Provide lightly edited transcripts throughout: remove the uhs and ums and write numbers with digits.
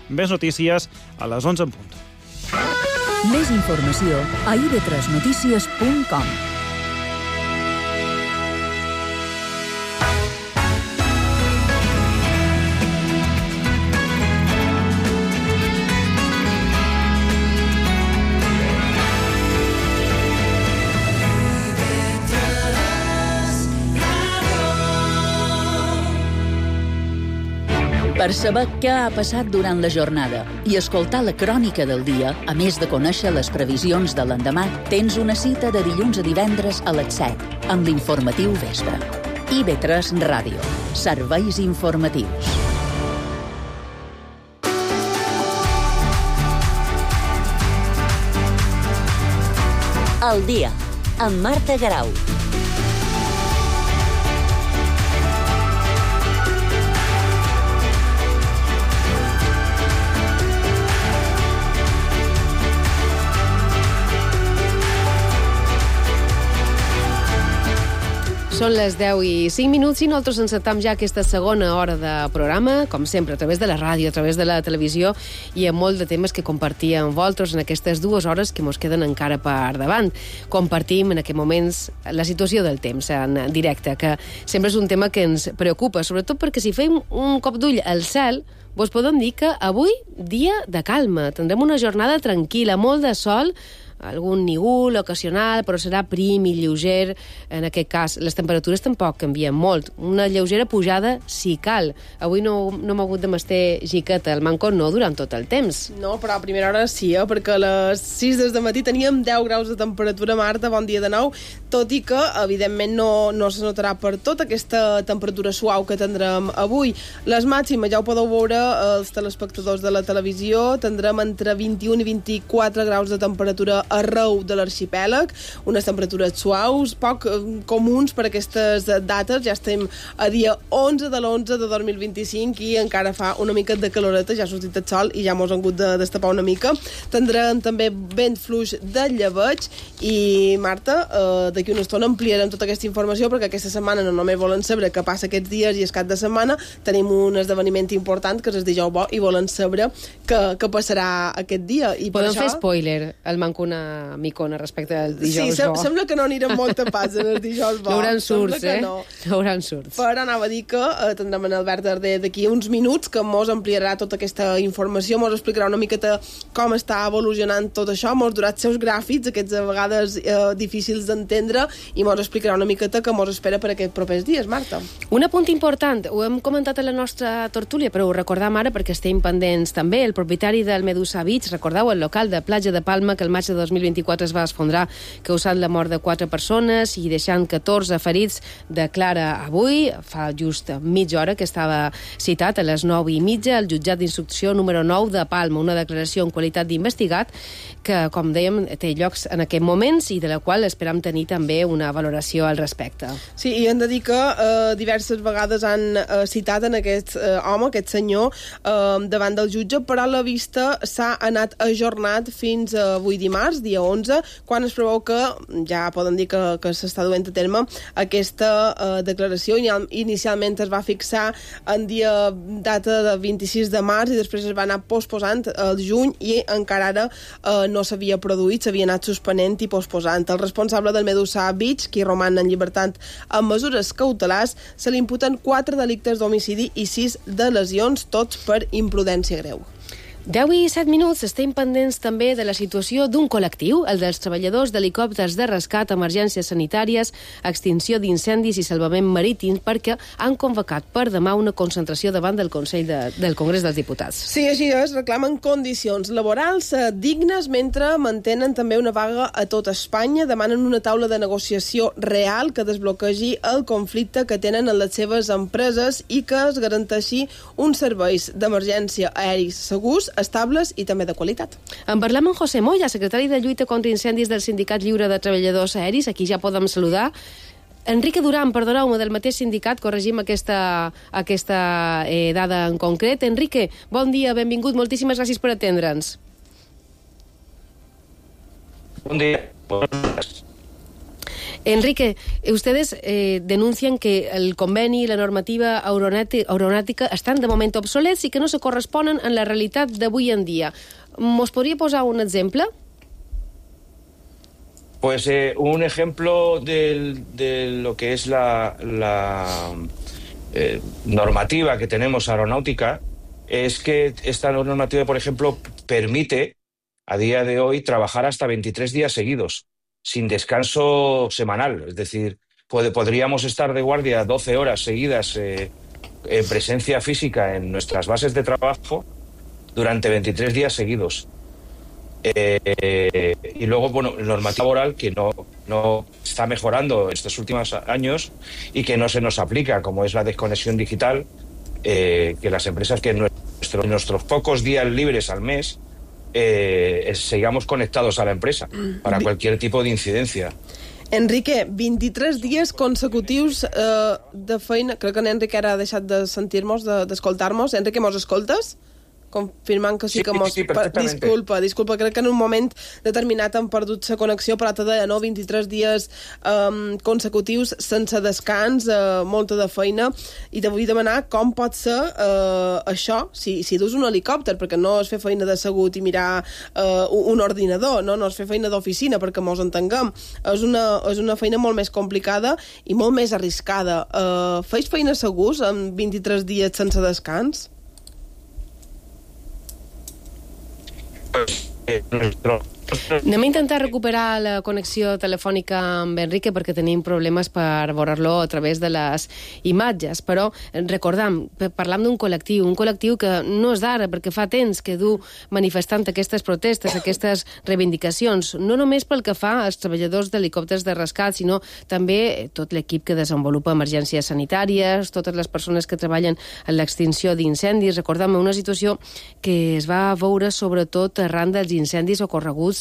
Més notícies a les 11 en punt. Més informació a ib3notícies.com. Per saber què ha passat durant la jornada i escoltar la crònica del dia, a més de conèixer les previsions de l'endemà, tens una cita de dilluns a divendres a les 7 amb l'informatiu Vespre. IB3 Ràdio. Serveis informatius. El dia, amb Marta Garau. Són les 10 i 5 minuts i nosaltres encetam ja aquesta segona hora de programa, com sempre, a través de la ràdio, a través de la televisió i amb molt de temes que compartim amb vosaltres en aquestes 2 hores que ens queden encara per davant. Compartim en aquests moments la situació del temps en directe, que sempre és un tema que ens preocupa, sobretot perquè si fem un cop d'ull al cel, vos podem dir que avui dia de calma. Tindrem una jornada tranquil·la, molt de sol, algun nígol ocasional, però serà prim i lleuger. En aquest cas, les temperatures tampoc canvien molt. Una lleugera pujada si cal. Avui no hem hagut de mestir jiqueta al manco, no durant tot el temps. No, però a primera hora sí, perquè a les 6 des de matí teníem 10 graus de temperatura, Marta, bon dia de nou, tot i que, evidentment, no se notarà per tot aquesta temperatura suau que tindrem avui. Les màximes, ja ho podeu veure els telespectadors de la televisió, tindrem entre 21 i 24 graus de temperatura arreu de l'arxipèlag, unes temperatures suaus, poc comuns per aquestes dates. Ja estem a dia 11 de l'11 de 2025 i encara fa una mica de caloreta, ja ha sortit el sol i ja mos han hagut de destapar una mica. Tindrem també vent fluix de llebeig i, Marta, d'aquí una estona ampliarem tota aquesta informació perquè aquesta setmana no només volen saber què passa aquests dies i el cap de setmana, tenim un esdeveniment important que és el dijous bo i volen saber què passarà aquest dia. I podem fer spoiler, el Mancuna micona respecte al dijous bo. Sí, sembla que no anirem molt a pas en el dijous bo. No hauran surts, no hauran surts. Però anava a dir que tindrem en Albert Darder d'aquí uns minuts que mos ampliarà tota aquesta informació, mos explicarà una miqueta com està evolucionant tot això, mos durà els seus gràfics, aquests a vegades difícils d'entendre, i mos explicarà una miqueta què mos espera per aquests propers dies, Marta. Un apunt important, ho hem comentat a la nostra tertúlia, però ho recordam ara perquè estem pendents també. El propietari del Medusa Beach, recordeu, el local de platja de Palma, que el maig de 2024 es va esfondrar causant la mort de 4 persones i deixant 14 ferits, declara avui, fa just mitja hora que estava citat a les 9:30 al jutjat d'instrucció número 9 de Palma, una declaració en qualitat d'investigat que, com dèiem, té llocs en aquests moments i de la qual esperam tenir també una valoració al respecte. Sí, i hem de dir que diverses vegades han citat en aquest home, aquest senyor, davant del jutge, però la vista s'ha anat ajornat fins avui dimarts, dia 11, quan es preveu que ja poden dir que s'està duent a terme aquesta declaració. Inicialment es va fixar en data de 26 de març i després es va anar posposant el juny i encara ara no s'havia produït, s'havia anat suspenent i posposant. El responsable del Medusa Beach, qui roman en llibertat amb mesures cautelars, se li imputen 4 delictes d'homicidi i 6 de lesions, tots per imprudència greu. 10 i 7 minuts, estem pendents també de la situació d'un col·lectiu, el dels treballadors d'helicòpters de rescat, emergències sanitàries, extinció d'incendis i salvament marítim, perquè han convocat per demà una concentració davant del Consell del Congrés dels Diputats. Sí, així és, reclamen condicions laborals dignes mentre mantenen també una vaga a tot Espanya, demanen una taula de negociació real que desbloquegi el conflicte que tenen en les seves empreses i que es garanteixi uns serveis d'emergència aèris segurs, estables i també de qualitat. En parlem amb José Moya, secretari de Lluita contra Incendis del Sindicat Lliure de Treballadors Aeris, aquí ja podem saludar. Enrique Duran, perdoneu-me, del mateix sindicat, corregim aquesta dada en concret. Enrique, bon dia, benvingut, moltíssimes gràcies per atendre'ns. Bon dia. Enrique, ustedes denuncian que el conveni y la normativa aeronàutica estan de moment obsolets i que no se corresponen en la realitat d'avui en dia. ¿Mos podria posar un exemple? Pues un ejemplo de lo que es la normativa que tenemos aeronáutica es que esta normativa, por ejemplo, permite a día de hoy trabajar hasta 23 días seguidos, sin descanso semanal. Es decir, podríamos estar de guardia 12 horas seguidas en presencia física en nuestras bases de trabajo durante 23 días seguidos. Y luego, bueno, normativa laboral que no está mejorando estos últimos años y que no se nos aplica, como es la desconexión digital, que las empresas que en nuestros pocos días libres al mes sigamos conectados a la empresa para cualquier tipo de incidencia. Enrique, 23 dies consecutius de feina. Crec que en Enrique ara ha deixat de sentir-nos, d'escoltar-nos. Enrique, mos escoltes? Confirmant que sí que mos... Sí, perfectament. Disculpa, crec que en un moment determinat han perdut la connexió, però te deia, no? 23 dies consecutius sense descans, molta de feina, i te vull demanar com pot ser això, si dus un helicòpter, perquè no és fer feina d'assegut i mirar un ordinador, no és fer feina d'oficina, perquè mos entenguem. És una feina molt més complicada i molt més arriscada. Feis feina segurs en 23 dies sense descans? Anem a intentar recuperar la connexió telefònica amb Enrique perquè tenim problemes per veure-lo a través de les imatges, però recordam, parlam d'un col·lectiu que no és d'ara, perquè fa temps que du manifestant aquestes protestes, aquestes reivindicacions, no només pel que fa als treballadors d'helicòpters de rescat, sinó també tot l'equip que desenvolupa emergències sanitàries, totes les persones que treballen en l'extinció d'incendis. Recordam una situació que es va veure sobretot arran dels incendis ocorreguts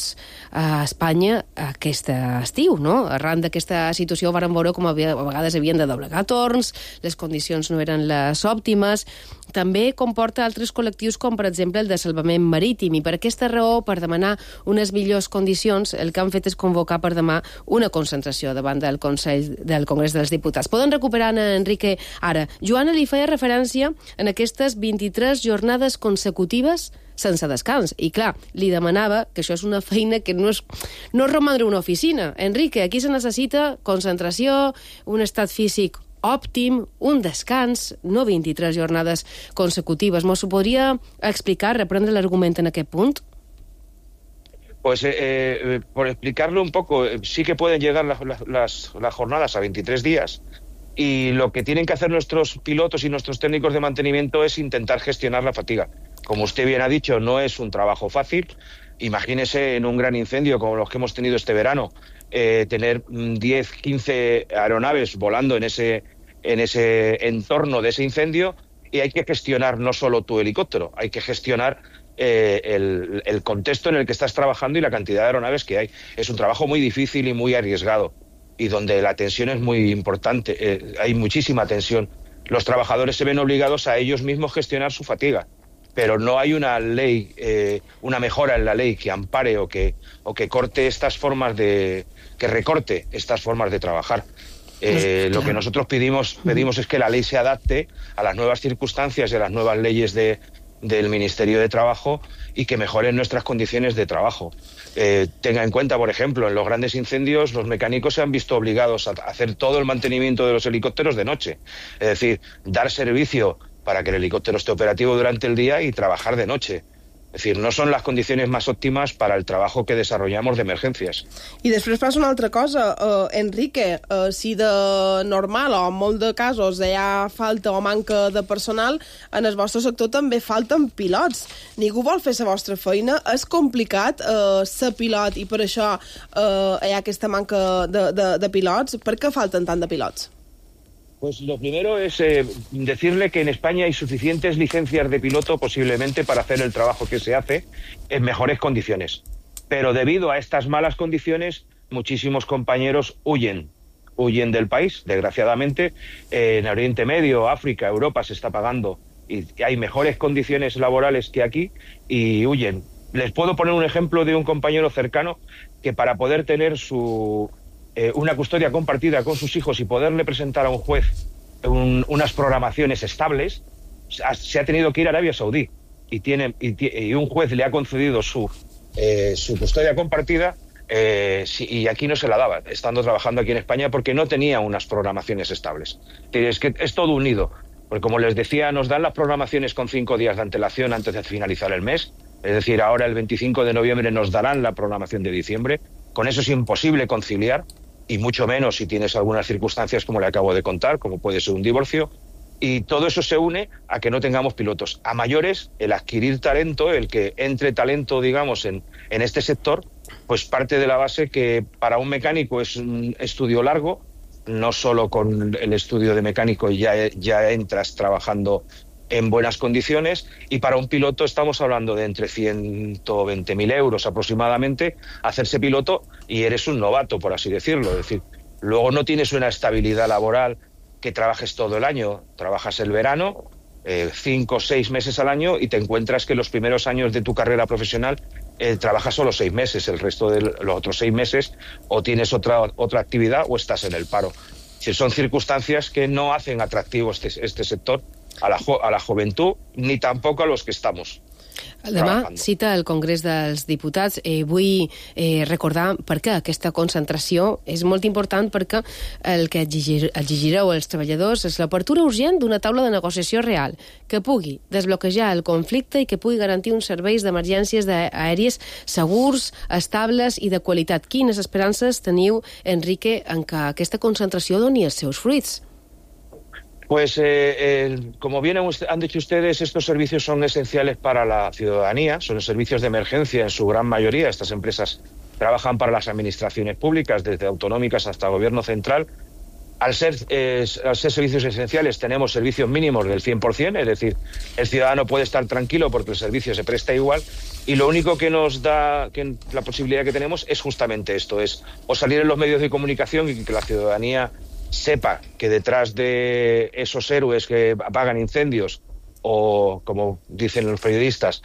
a Espanya aquest estiu, no? Arran d'aquesta situació vàrem veure com a vegades havien de doblegar torns, les condicions no eren les òptimes. També comporta altres col·lectius com, per exemple, el de salvament marítim, i per aquesta raó, per demanar unes millors condicions, el que han fet és convocar per demà una concentració davant del Congrés dels Diputats. Poden recuperar a Enrique ara. Joana li feia referència en aquestes 23 jornades consecutives sense descans. I clar, li demanava que això és una feina que no és romandre una oficina. Enrique, aquí se necessita concentració, un estat físic òptim, un descans, no 23 jornades consecutives. ¿Nos podria explicar, reprendre l'argument en aquest punt? Pues por explicarlo un poco, sí que pueden llegar las jornadas a 23 días, y lo que tienen que hacer nuestros pilotos y nuestros técnicos de mantenimiento es intentar gestionar la fatiga. Como usted bien ha dicho, no es un trabajo fácil. Imagínese en un gran incendio como los que hemos tenido este verano, tener 10, 15 aeronaves volando en ese entorno de ese incendio, y hay que gestionar no solo tu helicóptero, hay que gestionar el contexto en el que estás trabajando y la cantidad de aeronaves que hay. Es un trabajo muy difícil y muy arriesgado, y donde la tensión es muy importante, hay muchísima tensión. Los trabajadores se ven obligados a ellos mismos gestionar su fatiga, pero no hay una ley, una mejora en la ley que ampare o que corte estas formas que recorte estas formas de trabajar. Lo que nosotros pedimos es que la ley se adapte a las nuevas circunstancias y a las nuevas leyes del Ministerio de Trabajo, y que mejoren nuestras condiciones de trabajo. Tenga en cuenta, por ejemplo, en los grandes incendios los mecánicos se han visto obligados a hacer todo el mantenimiento de los helicópteros de noche. Es decir, dar servicio para que el helicóptero esté operativo durante el día y trabajar de noche. Es decir, no son las condiciones más óptimas para el trabajo que desarrollamos de emergencias. I després passa una altra cosa, Enrique, si de normal o en molt de casos hi ha falta o manca de personal, en el vostre sector també falten pilots. Ningú vol fer la vostra feina, és complicat ser pilot, i per això hi ha aquesta manca de pilots. Per què falten tant de pilots? Pues lo primero es decirle que en España hay suficientes licencias de piloto posiblemente para hacer el trabajo que se hace en mejores condiciones. Pero debido a estas malas condiciones, muchísimos compañeros huyen del país, desgraciadamente. En Oriente Medio, África, Europa se está pagando y hay mejores condiciones laborales que aquí, y huyen. Les puedo poner un ejemplo de un compañero cercano que, para poder tener su una custodia compartida con sus hijos y poderle presentar a un juez unas programaciones estables, se ha tenido que ir a Arabia Saudí y un juez le ha concedido su custodia compartida y aquí no se la daba, estando trabajando aquí en España, porque no tenía unas programaciones estables. Es que es todo unido, porque como les decía, nos dan las programaciones con 5 días de antelación antes de finalizar el mes, es decir, ahora el 25 de noviembre nos darán la programación de diciembre. Con eso es imposible conciliar, y mucho menos si tienes algunas circunstancias como le acabo de contar, como puede ser un divorcio, y todo eso se une a que no tengamos pilotos. A mayores, el adquirir talento, el que entre talento, digamos, en este sector, pues parte de la base que para un mecánico es un estudio largo, no solo con el estudio de mecánico ya entras trabajando en buenas condiciones, y para un piloto estamos hablando de entre 120.000 euros aproximadamente hacerse piloto, y eres un novato, por así decirlo. Es decir, luego no tienes una estabilidad laboral que trabajes todo el año, trabajas el verano, 5 o 6 meses al año, y te encuentras que los primeros años de tu carrera profesional trabajas solo 6 meses, el resto de los otros 6 meses o tienes otra actividad o estás en el paro. Son circunstancias que no hacen atractivo este sector a la juventud, ni tampoco a los que estamos. Demà cita el Congrés dels Diputats. Vull recordar per què aquesta concentració és molt important, perquè el que exigireu als treballadors és l'apertura urgent d'una taula de negociació real que pugui desbloquejar el conflicte i que pugui garantir uns serveis d'emergències aèries segurs, estables i de qualitat. Quines esperances teniu, Enrique, en que aquesta concentració doni els seus fruits? Pues como bien han dicho ustedes, estos servicios son esenciales para la ciudadanía, son servicios de emergencia en su gran mayoría. Estas empresas trabajan para las administraciones públicas, desde autonómicas hasta gobierno central. Al ser servicios esenciales tenemos servicios mínimos del 100%, es decir, el ciudadano puede estar tranquilo porque el servicio se presta igual, y lo único que nos da la posibilidad que tenemos es justamente esto, es o salir en los medios de comunicación y que la ciudadanía sepa que detrás de esos héroes que apagan incendios, o como dicen los periodistas,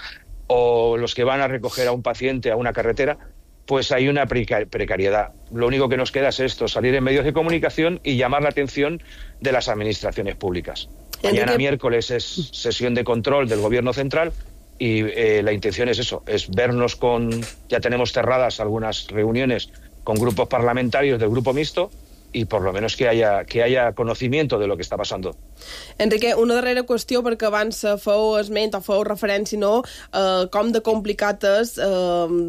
o los que van a recoger a un paciente a una carretera, pues hay una precariedad. Lo único que nos queda es esto, salir en medios de comunicación y llamar la atención de las administraciones públicas. Mañana miércoles es sesión de control del Gobierno Central y la intención es eso, es vernos ya tenemos cerradas algunas reuniones con grupos parlamentarios del Grupo Mixto, i per lo menos que haya conocimiento de lo que està passant. Enrique, una darrera qüestió, perquè abans feu esment o feu referència com de complicat és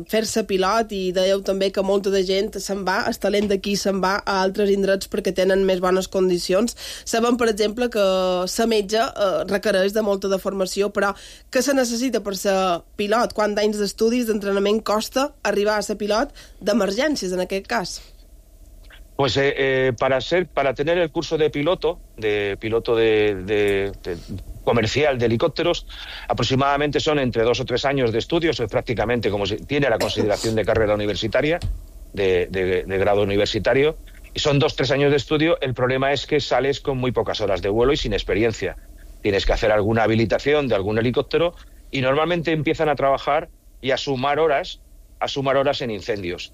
fer-se pilot, i dèieu també que molta de gent se'n va, el talent d'aquí se'n va a altres indrets perquè tenen més bones condicions. Sabem, per exemple, que ser metge requereix de molta de formació, però què se necessita per ser pilot? Quants anys d'estudis, d'entrenament costa arribar a ser pilot d'emergències, en aquest cas? Pues para tener el curso de piloto comercial de helicópteros, aproximadamente son entre 2 o 3 años de estudios, es prácticamente como si tiene la consideración de carrera universitaria, de grado universitario, y son 2 o 3 años de estudio. El problema es que sales con muy pocas horas de vuelo y sin experiencia. Tienes que hacer alguna habilitación de algún helicóptero, y normalmente empiezan a trabajar y a sumar horas en incendios.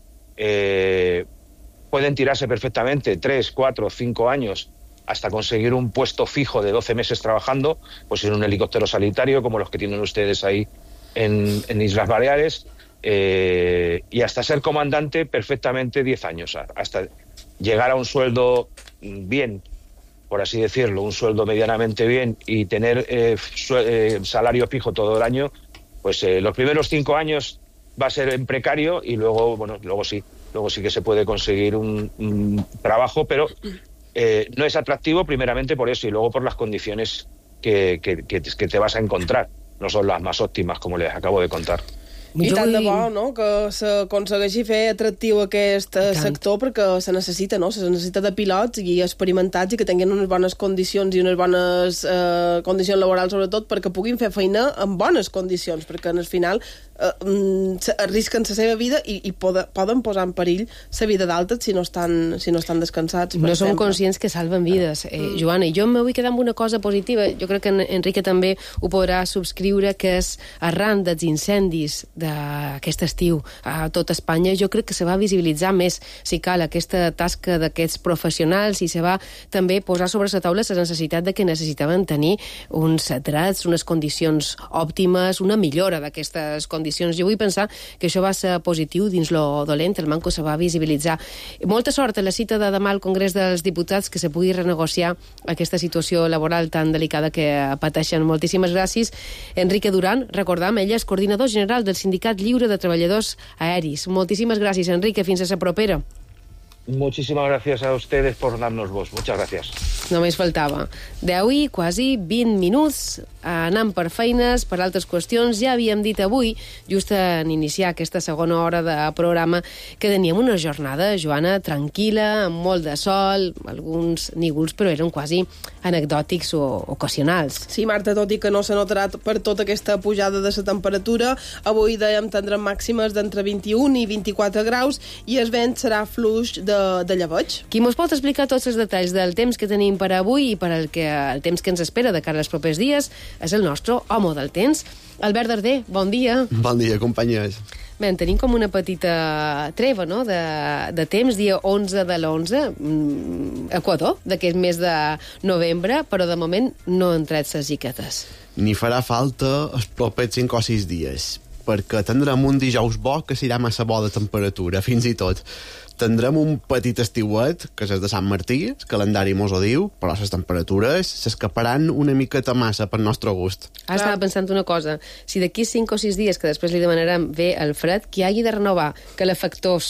Pueden tirarse perfectamente 3, 4, 5 años hasta conseguir un puesto fijo de 12 meses trabajando, pues en un helicóptero sanitario como los que tienen ustedes ahí en Islas Baleares, y hasta ser comandante perfectamente 10 años, hasta llegar a un sueldo bien, por así decirlo, un sueldo medianamente bien, y tener salario fijo todo el año. Pues los primeros 5 años va a ser en precario, y luego sí que se puede conseguir un trabajo, pero no es atractivo primeramente por eso, y luego por las condiciones que te vas a encontrar. No son las más óptimas, como les acabo de contar. I tant de bo, no?, que s'aconsegueixi fer atractiu aquest sector, perquè se necessita, no?, se necessita de pilots i experimentats i que tinguin unes bones condicions i unes bones condicions laborals, sobretot, perquè puguin fer feina en bones condicions, perquè al final arrisquen la seva vida i poden posar en perill la vida d'altres si no estan descansats. No som conscients que salven vides, Joana. I jo me vull quedar amb una cosa positiva, jo crec que Enrique també ho podrà subscriure, que és arran dels incendis d'aquest estiu a tot Espanya, jo crec que se va visibilitzar més, si cal, aquesta tasca d'aquests professionals i se va també posar sobre la taula la necessitat de que necessitaven tenir uns drets, unes condicions òptimes, una millora d'aquestes condicions. Jo vull pensar que això va ser positiu dins lo dolent, el manco se va visibilitzar. Molta sort a la cita de demà al Congrés dels Diputats, que se pugui renegociar aquesta situació laboral tan delicada que pateixen. Moltíssimes gràcies. Enrique Duran, recordam, ell és coordinador general del Sindicat Lliure de Treballadors Aeris. Moltíssimes gràcies, Enrique. Fins a la propera. Muchísimas gracias a ustedes por darnos voz. Muchas gracias. Només faltava. 10 i quasi 20 minuts anant per feines, per altres qüestions. Ja havíem dit avui, just en iniciar aquesta segona hora de programa, que teníem una jornada, Joana, tranquil·la, amb molt de sol, alguns nígols, però eren quasi anecdòtics o ocasionals. Sí, Marta, tot i que no s'ha notat per tota aquesta pujada de la temperatura, avui dèiem tindrem màximes d'entre 21 i 24 graus i el vent serà fluix de llebeig. Qui mos pot explicar tots els detalls del temps que tenim per avui i per el temps que ens espera de cara als propers dies és el nostre home del temps, Albert Darder. Bon dia. Bon dia, companyes. Bé, en tenim com una petita treva, no?, de temps, dia 11 de l'11, Equador, d'aquest mes de novembre, però de moment no han tret les jiquetes. Ni farà falta els propers 5 o 6 dies, perquè tindrem un dijous bo que serà massa bo de temperatura, fins i tot. Tindrem un petit estiuet, que és el de Sant Martí, el calendari mos ho diu, però les temperatures s'escaparan una miqueta massa per nostre gust. Ara estava pensant una cosa, si d'aquí 5 o 6 dies, que després li demanarem bé el fred, que hagi de renovar calefactors,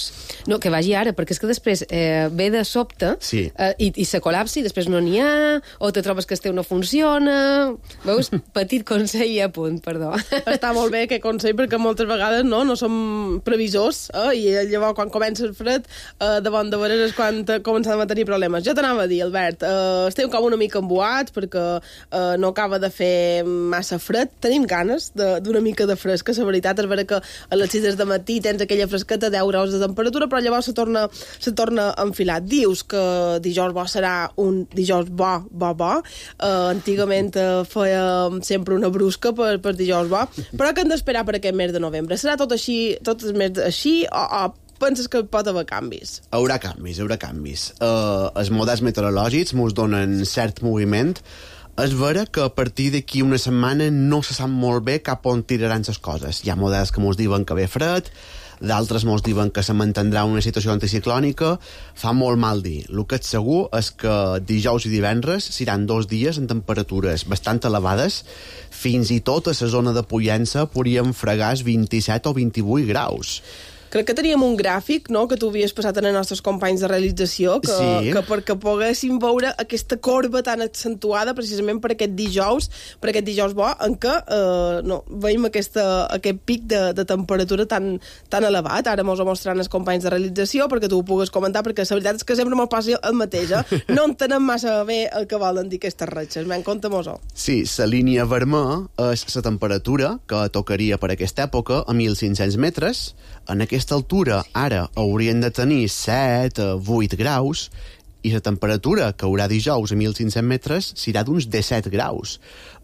no, que vagi ara, perquè és que després ve de sobte sí. I se col·lapsi, després no n'hi ha, o te trobes que el teu no funciona. Veus? Petit consell i a punt, perdó. Està molt bé aquest consell, perquè moltes vegades no som previsors, i llavors quan comença el fred de bon de veres és quan començàvem a tenir problemes. Jo t'anava a dir, Albert, estem com una mica embuats perquè no acaba de fer massa fred. Tenim ganes d'una mica de fresca. La veritat és vera que a les 6 de matí tens aquella fresqueta, 10 graus de temperatura, però llavors se torna a enfilar. Dius que dijous bo serà un dijous bo. Antigament feia sempre una brusca per dijous bo, però que hem d'esperar per aquest mes de novembre. Serà tot així, tot el mes així, o penses que pot haver canvis? Haurà canvis. Els models meteorològics mos donen cert moviment. És vera que a partir d'aquí una setmana no se sap molt bé cap on tiraran les coses. Hi ha models que mos diuen que ve fred, d'altres mos diuen que se mantindrà una situació anticiclònica. Fa molt mal dir. El que és segur és que dijous i divendres seran 2 dies en temperatures bastant elevades. Fins i tot a la zona de Pollença podríem fregar 27 o 28 graus. Crec que teníem un gràfic, no?, que tu havies passat als nostres companys de realització, que perquè poguéssim veure aquesta corba tan accentuada precisament per aquest dijous bo, en què veiem aquest pic de temperatura tan elevat. Ara mos ho mostraran els companys de realització perquè tu ho pugues comentar, perquè la veritat és que sempre mos passa el mateix, No entenem massa bé el que volen dir aquestes ratxes. Compta-mos-ho. Sí, la línia vermella és la temperatura que tocaria per aquesta època a 1.500 metres. En aquesta altura ara haurien de tenir 7 a 8 graus i la temperatura que haurà dijous a 1.500 metres serà d'uns 17 graus.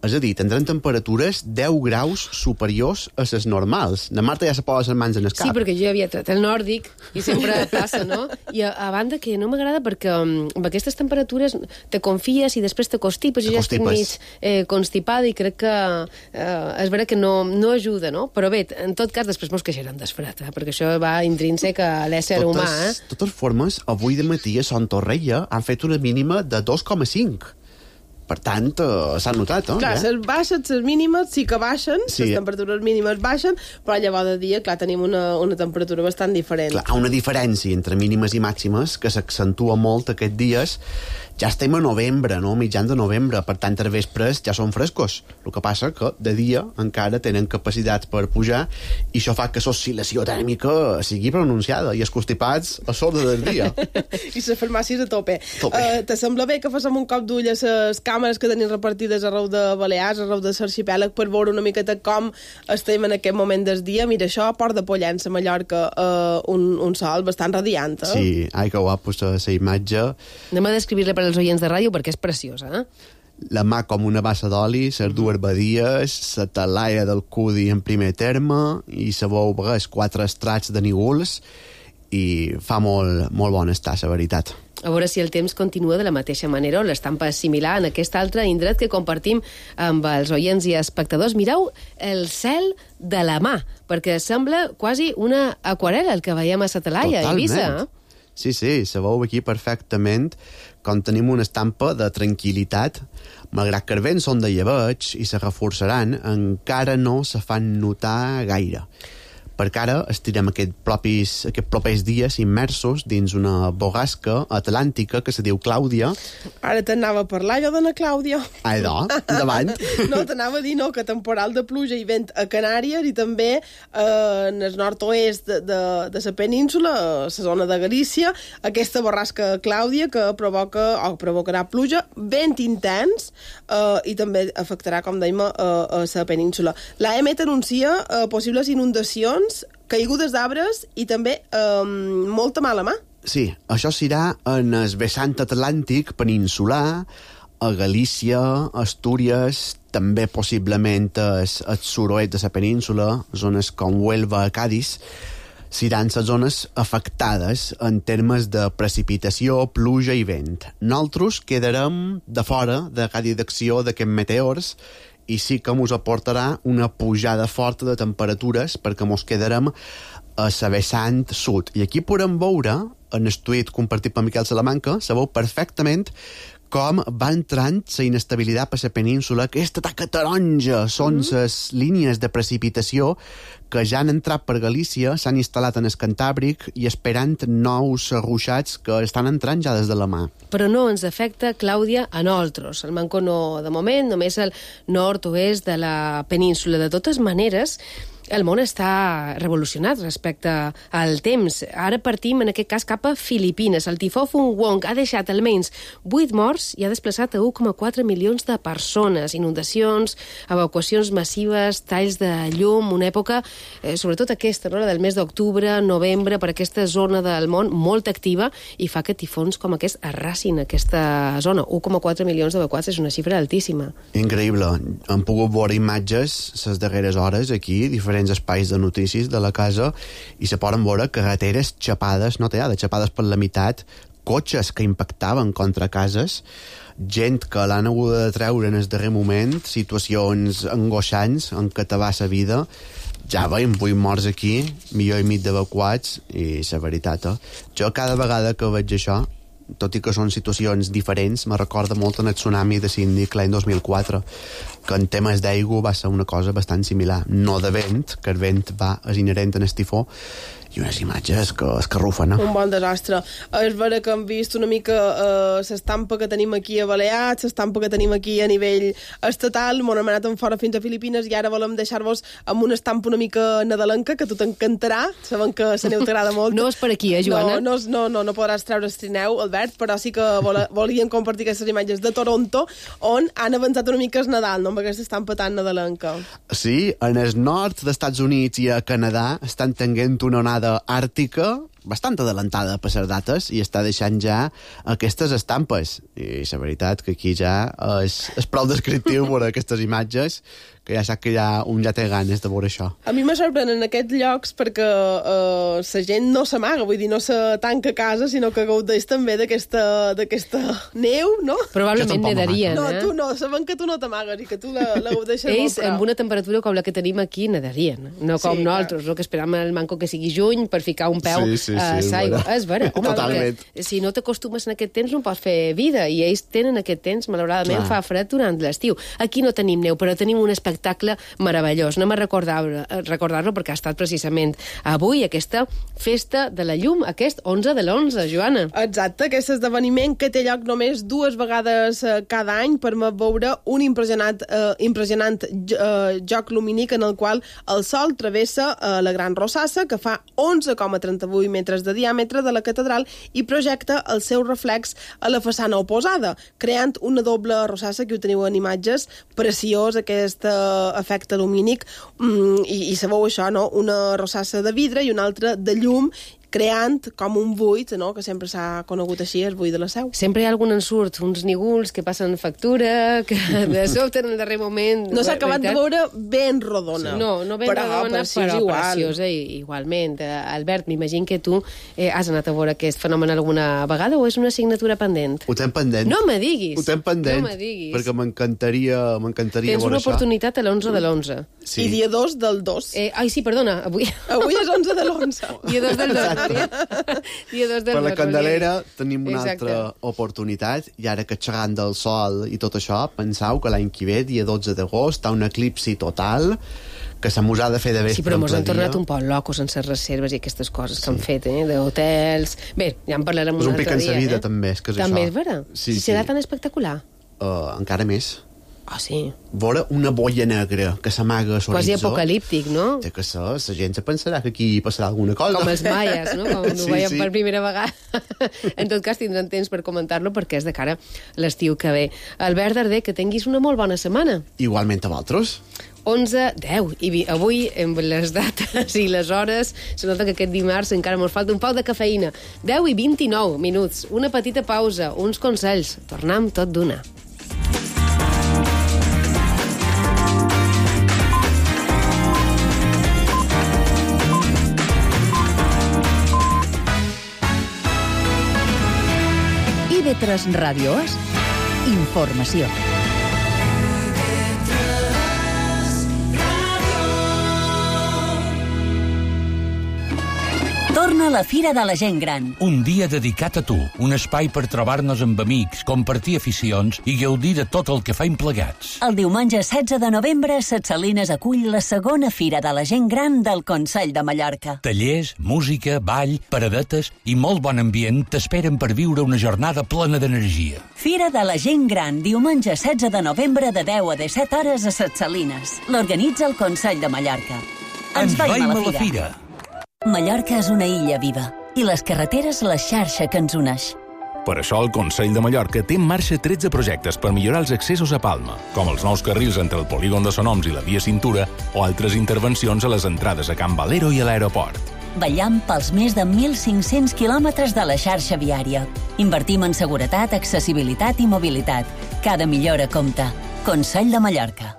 És a dir, tindran temperatures 10 graus superiors a les normals. La Marta ja se posa les mans en el cap. Sí, perquè jo havia tret el nòrdic i sempre passa, no? I a banda que no m'agrada perquè amb aquestes temperatures te confies i després te constipes. Jo ja estic mig constipada i crec que és vera que no ajuda, no? Però bé, en tot cas, després mos queixarem d'esfred, perquè això va intrínsec a l'ésser humà. De totes formes, avui de matí a Son Torrella han fet una mínima de 2,5. Per tant, s'ha notat, no? Clar, les mínimes sí que baixen, les temperatures mínimes baixen, però llavors de dia, clar, tenim una temperatura bastant diferent. Clar, hi ha una diferència entre mínimes i màximes que s'accentua molt aquests dies. Ja estem a novembre, no? Mitjan de novembre, per tant, els vespres ja són frescos. El que passa que de dia encara tenen capacitats per pujar i això fa que l'oscil·lació tèrmica sigui pronunciada i els constipats a sobre del dia. I les farmàcies a tope. Te sembla bé que fem un cop d'ull a les càmeres que tenim repartides arreu de Balears, arreu de l'arxipèlag, per veure una miqueta com estem en aquest moment del dia? Mira, això, Port de Pollença, Mallorca, un sol bastant radiant, Sí, ai, que guapo la imatge. Anem a descriure-la per als oients de ràdio perquè és preciosa, la mà com una bassa d'oli, les dues badies, la talaia del cudi en primer terme, i se veu vegués 4 estrats de nígols, i fa molt bon estar, la veritat. A veure si el temps continua de la mateixa manera o l'estampa és similar en aquest altre indret que compartim amb els oients i espectadors. Mireu el cel de la mà, perquè sembla quasi una aquarel·la el que veiem a la talaia a Eivissa. Sí, se veu aquí perfectament com tenim una estampa de tranquil·litat. Malgrat que els vents són de llebeig i se reforçaran, encara no se fan notar gaire. Perquè ara estirem aquests propers dies immersos dins una bogasca atlàntica que se diu Clàudia. Ara t'anava a parlar jo d'Anna Clàudia. Ai, no, endavant. No, t'anava a dir que temporal de pluja i vent a Canàries i també en el nord-oest de la península, a la zona de Galícia, aquesta borrasca Clàudia que provocarà pluja, vent intens i també afectarà, com dèiem, a la península. L'AEMET anuncia possibles inundacions, caigudes d'arbres i també molta mala mà. Sí, això serà en el vessant atlàntic peninsular, a Galícia, Astúries, també possiblement el sud-oest de la península, zones com Huelva, Cádiz, seran les zones afectades en termes de precipitació, pluja i vent. Nosaltres quedarem de fora de radi d'acció d'aquests meteors i sí que ens aportarà una pujada forta de temperatures perquè ens quedarem a la vessant sud. I aquí podem veure, en el tuit compartit per Miquel Salamanca, se veu perfectament com va entrant la inestabilitat per la península. Aquesta taca taronja són les línies de precipitació que ja han entrat per Galícia, s'han instal·lat en el Cantàbric i esperant nous ruixats que estan entrant ja des de la mà. Però no ens afecta, Clàudia, a nosaltres. El manco no, de moment, només el nord-oest de la península. De totes maneres, el món està revolucionat respecte al temps. Ara partim, en aquest cas, cap a Filipines. El tifó Fung Wong ha deixat almenys 8 morts i ha desplaçat a 1,4 milions de persones. Inundacions, evacuacions massives, talls de llum, una època, sobretot aquesta, no? La del mes d'octubre, novembre, per aquesta zona del món molt activa i fa que tifons com aquest arrasin aquesta zona. 1,4 milions d'evacuats és una xifra altíssima. Increïble. Hem pogut veure imatges les darreres hores aquí, diferents espais de notícies de la casa, i se poden veure carreteres xapades, no tallades, xapades per la meitat, cotxes que impactaven contra cases, gent que l'han hagut de treure en el darrer moment, situacions angoixants en què te va la vida. Ja veiem 8 morts aquí, milió i mig d'evacuats, i la veritat, jo cada vegada que veig això, tot i que són situacions diferents, me recorda molt en el tsunami de Sydney l'any 2004, que en temes d'aigua va ser una cosa bastant similar. No de vent, que el vent és inherent en el tifó, i unes imatges que escarrufen. Un bon desastre. És vera que hem vist una mica l'estampa que tenim aquí a Balears, l'estampa que tenim aquí a nivell estatal, m'ho hem anat fora fins a Filipines i ara volem deixar-vos amb una estampa una mica nadalenca que a tu t'encantarà, sabem que la neu t'agrada molt. No és per aquí, Joana? No podràs treure el trineu, Albert, però sí que volíem compartir aquestes imatges de Toronto, on han avançat una mica el Nadal, no amb aquesta estampa tan nadalenca. Sí, en el nord dels Estats Units i a Canadà estan tenint una onada àrtica bastant adelantada per les dates i està deixant ja aquestes estampes. I la veritat que aquí ja és prou descriptiu veure aquestes imatges, que ja sap que un ja té ganes de veure això. A mi me sorprenen aquests llocs perquè la gent no s'amaga, vull dir, no se tanca a casa, sinó que gaudeix també d'aquesta neu, no? Probablement nedarien, No, tu no, sabem que tu no t'amagues i que tu la gaudeixes molt. Ells, amb una temperatura com la que tenim aquí, nedarien, no com nosaltres, que esperam el manco que sigui juny per ficar un peu a l'aigua. És vera, home, si no t'acostumes en aquest temps no pots fer vida, i ells tenen aquest temps, malauradament fa fred durant l'estiu. Aquí no tenim neu, però tenim un espectacle meravellós. Anem a recordar-lo perquè ha estat precisament avui aquesta festa de la llum, aquest 11 de l'11, Joana. Exacte, aquest esdeveniment que té lloc només 2 vegades cada any permet veure un impressionant joc lumínic en el qual el sol travessa la Gran Rosassa, que fa 11,38 metres de diàmetre de la catedral i projecta el seu reflex a la façana oposada, creant una doble rosassa, que ho teniu en imatges, preciós aquest efecte lumínic, i sabeu això, no? Una rosassa de vidre i una altra de llum, creant com un buit, no?, que sempre s'ha conegut així, el buit de la Seu. Sempre hi ha algun ensurt, uns nígols que passen factura, que de sobte en el darrer moment... No s'ha acabat de veure ben rodona. No ben rodona, però preciosa igualment. Albert, m'imagino que tu has anat a veure aquest fenomen alguna vegada o és una assignatura pendent? Ho tenc pendent. No me diguis. Ho tenc pendent, perquè m'encantaria veure això. Tens una oportunitat a l'11 de l'11. Sí. I dia 2 del 2. Ai, sí, perdona, avui és 11 de l'11. Dia 2 del 2. Dia 2 del 2. Per la Candelera tenim una altra oportunitat, i ara que xerrant del sol i tot això, penseu que l'any que ve, dia 12 d'agost, hi ha un eclipsi total que se mos ha de fer de vespre. Sí, però mos han tornat un poc locos sense reserves i aquestes coses que han fet, d'hotels... Bé, ja en parlarem un altre dia. És un pic en sa vida, també, és que és això. També és vera? Sí. Serà tan espectacular? Encara més. Ah, sí? Veure una boia negra que s'amaga a l'horitzó. Quasi apocalíptic, no? Té que ser, la gent se pensarà que aquí passarà alguna cosa. Com els maies, no? Com ho veiem per primera vegada. En tot cas, tindran temps per comentar-lo perquè és de cara l'estiu que ve. Albert Darder, que tinguis una molt bona setmana. Igualment a vosaltres. 11, 10, i avui, amb les dates i les hores, se nota que aquest dimarts encara ens falta un poc de cafeïna. 10 i 29 minuts, una petita pausa, uns consells. Tornem tot d'una. IB3 Ràdio és informació. Torna la Fira de la Gent Gran. Un dia dedicat a tu, un espai per trobar-nos amb amics, compartir aficions i gaudir de tot el que faim plegats. El diumenge 16 de novembre, Ses Salines acull la segona Fira de la Gent Gran del Consell de Mallorca. Tallers, música, ball, paradetes i molt bon ambient t'esperen per viure una jornada plena d'energia. Fira de la Gent Gran, diumenge 16 de novembre de 10 a 17 hores a Ses Salines. L'organitza el Consell de Mallorca. Ens veiem a la fira. Mallorca és una illa viva i les carreteres la xarxa que ens uneix. Per això el Consell de Mallorca té en marxa 13 projectes per millorar els accessos a Palma, com els nous carrils entre el polígon de Sonoms i la via Cintura o altres intervencions a les entrades a Can Valero i a l'aeroport. Vetllam pels més de 1.500 quilòmetres de la xarxa viària. Invertim en seguretat, accessibilitat i mobilitat. Cada millora compta. Consell de Mallorca.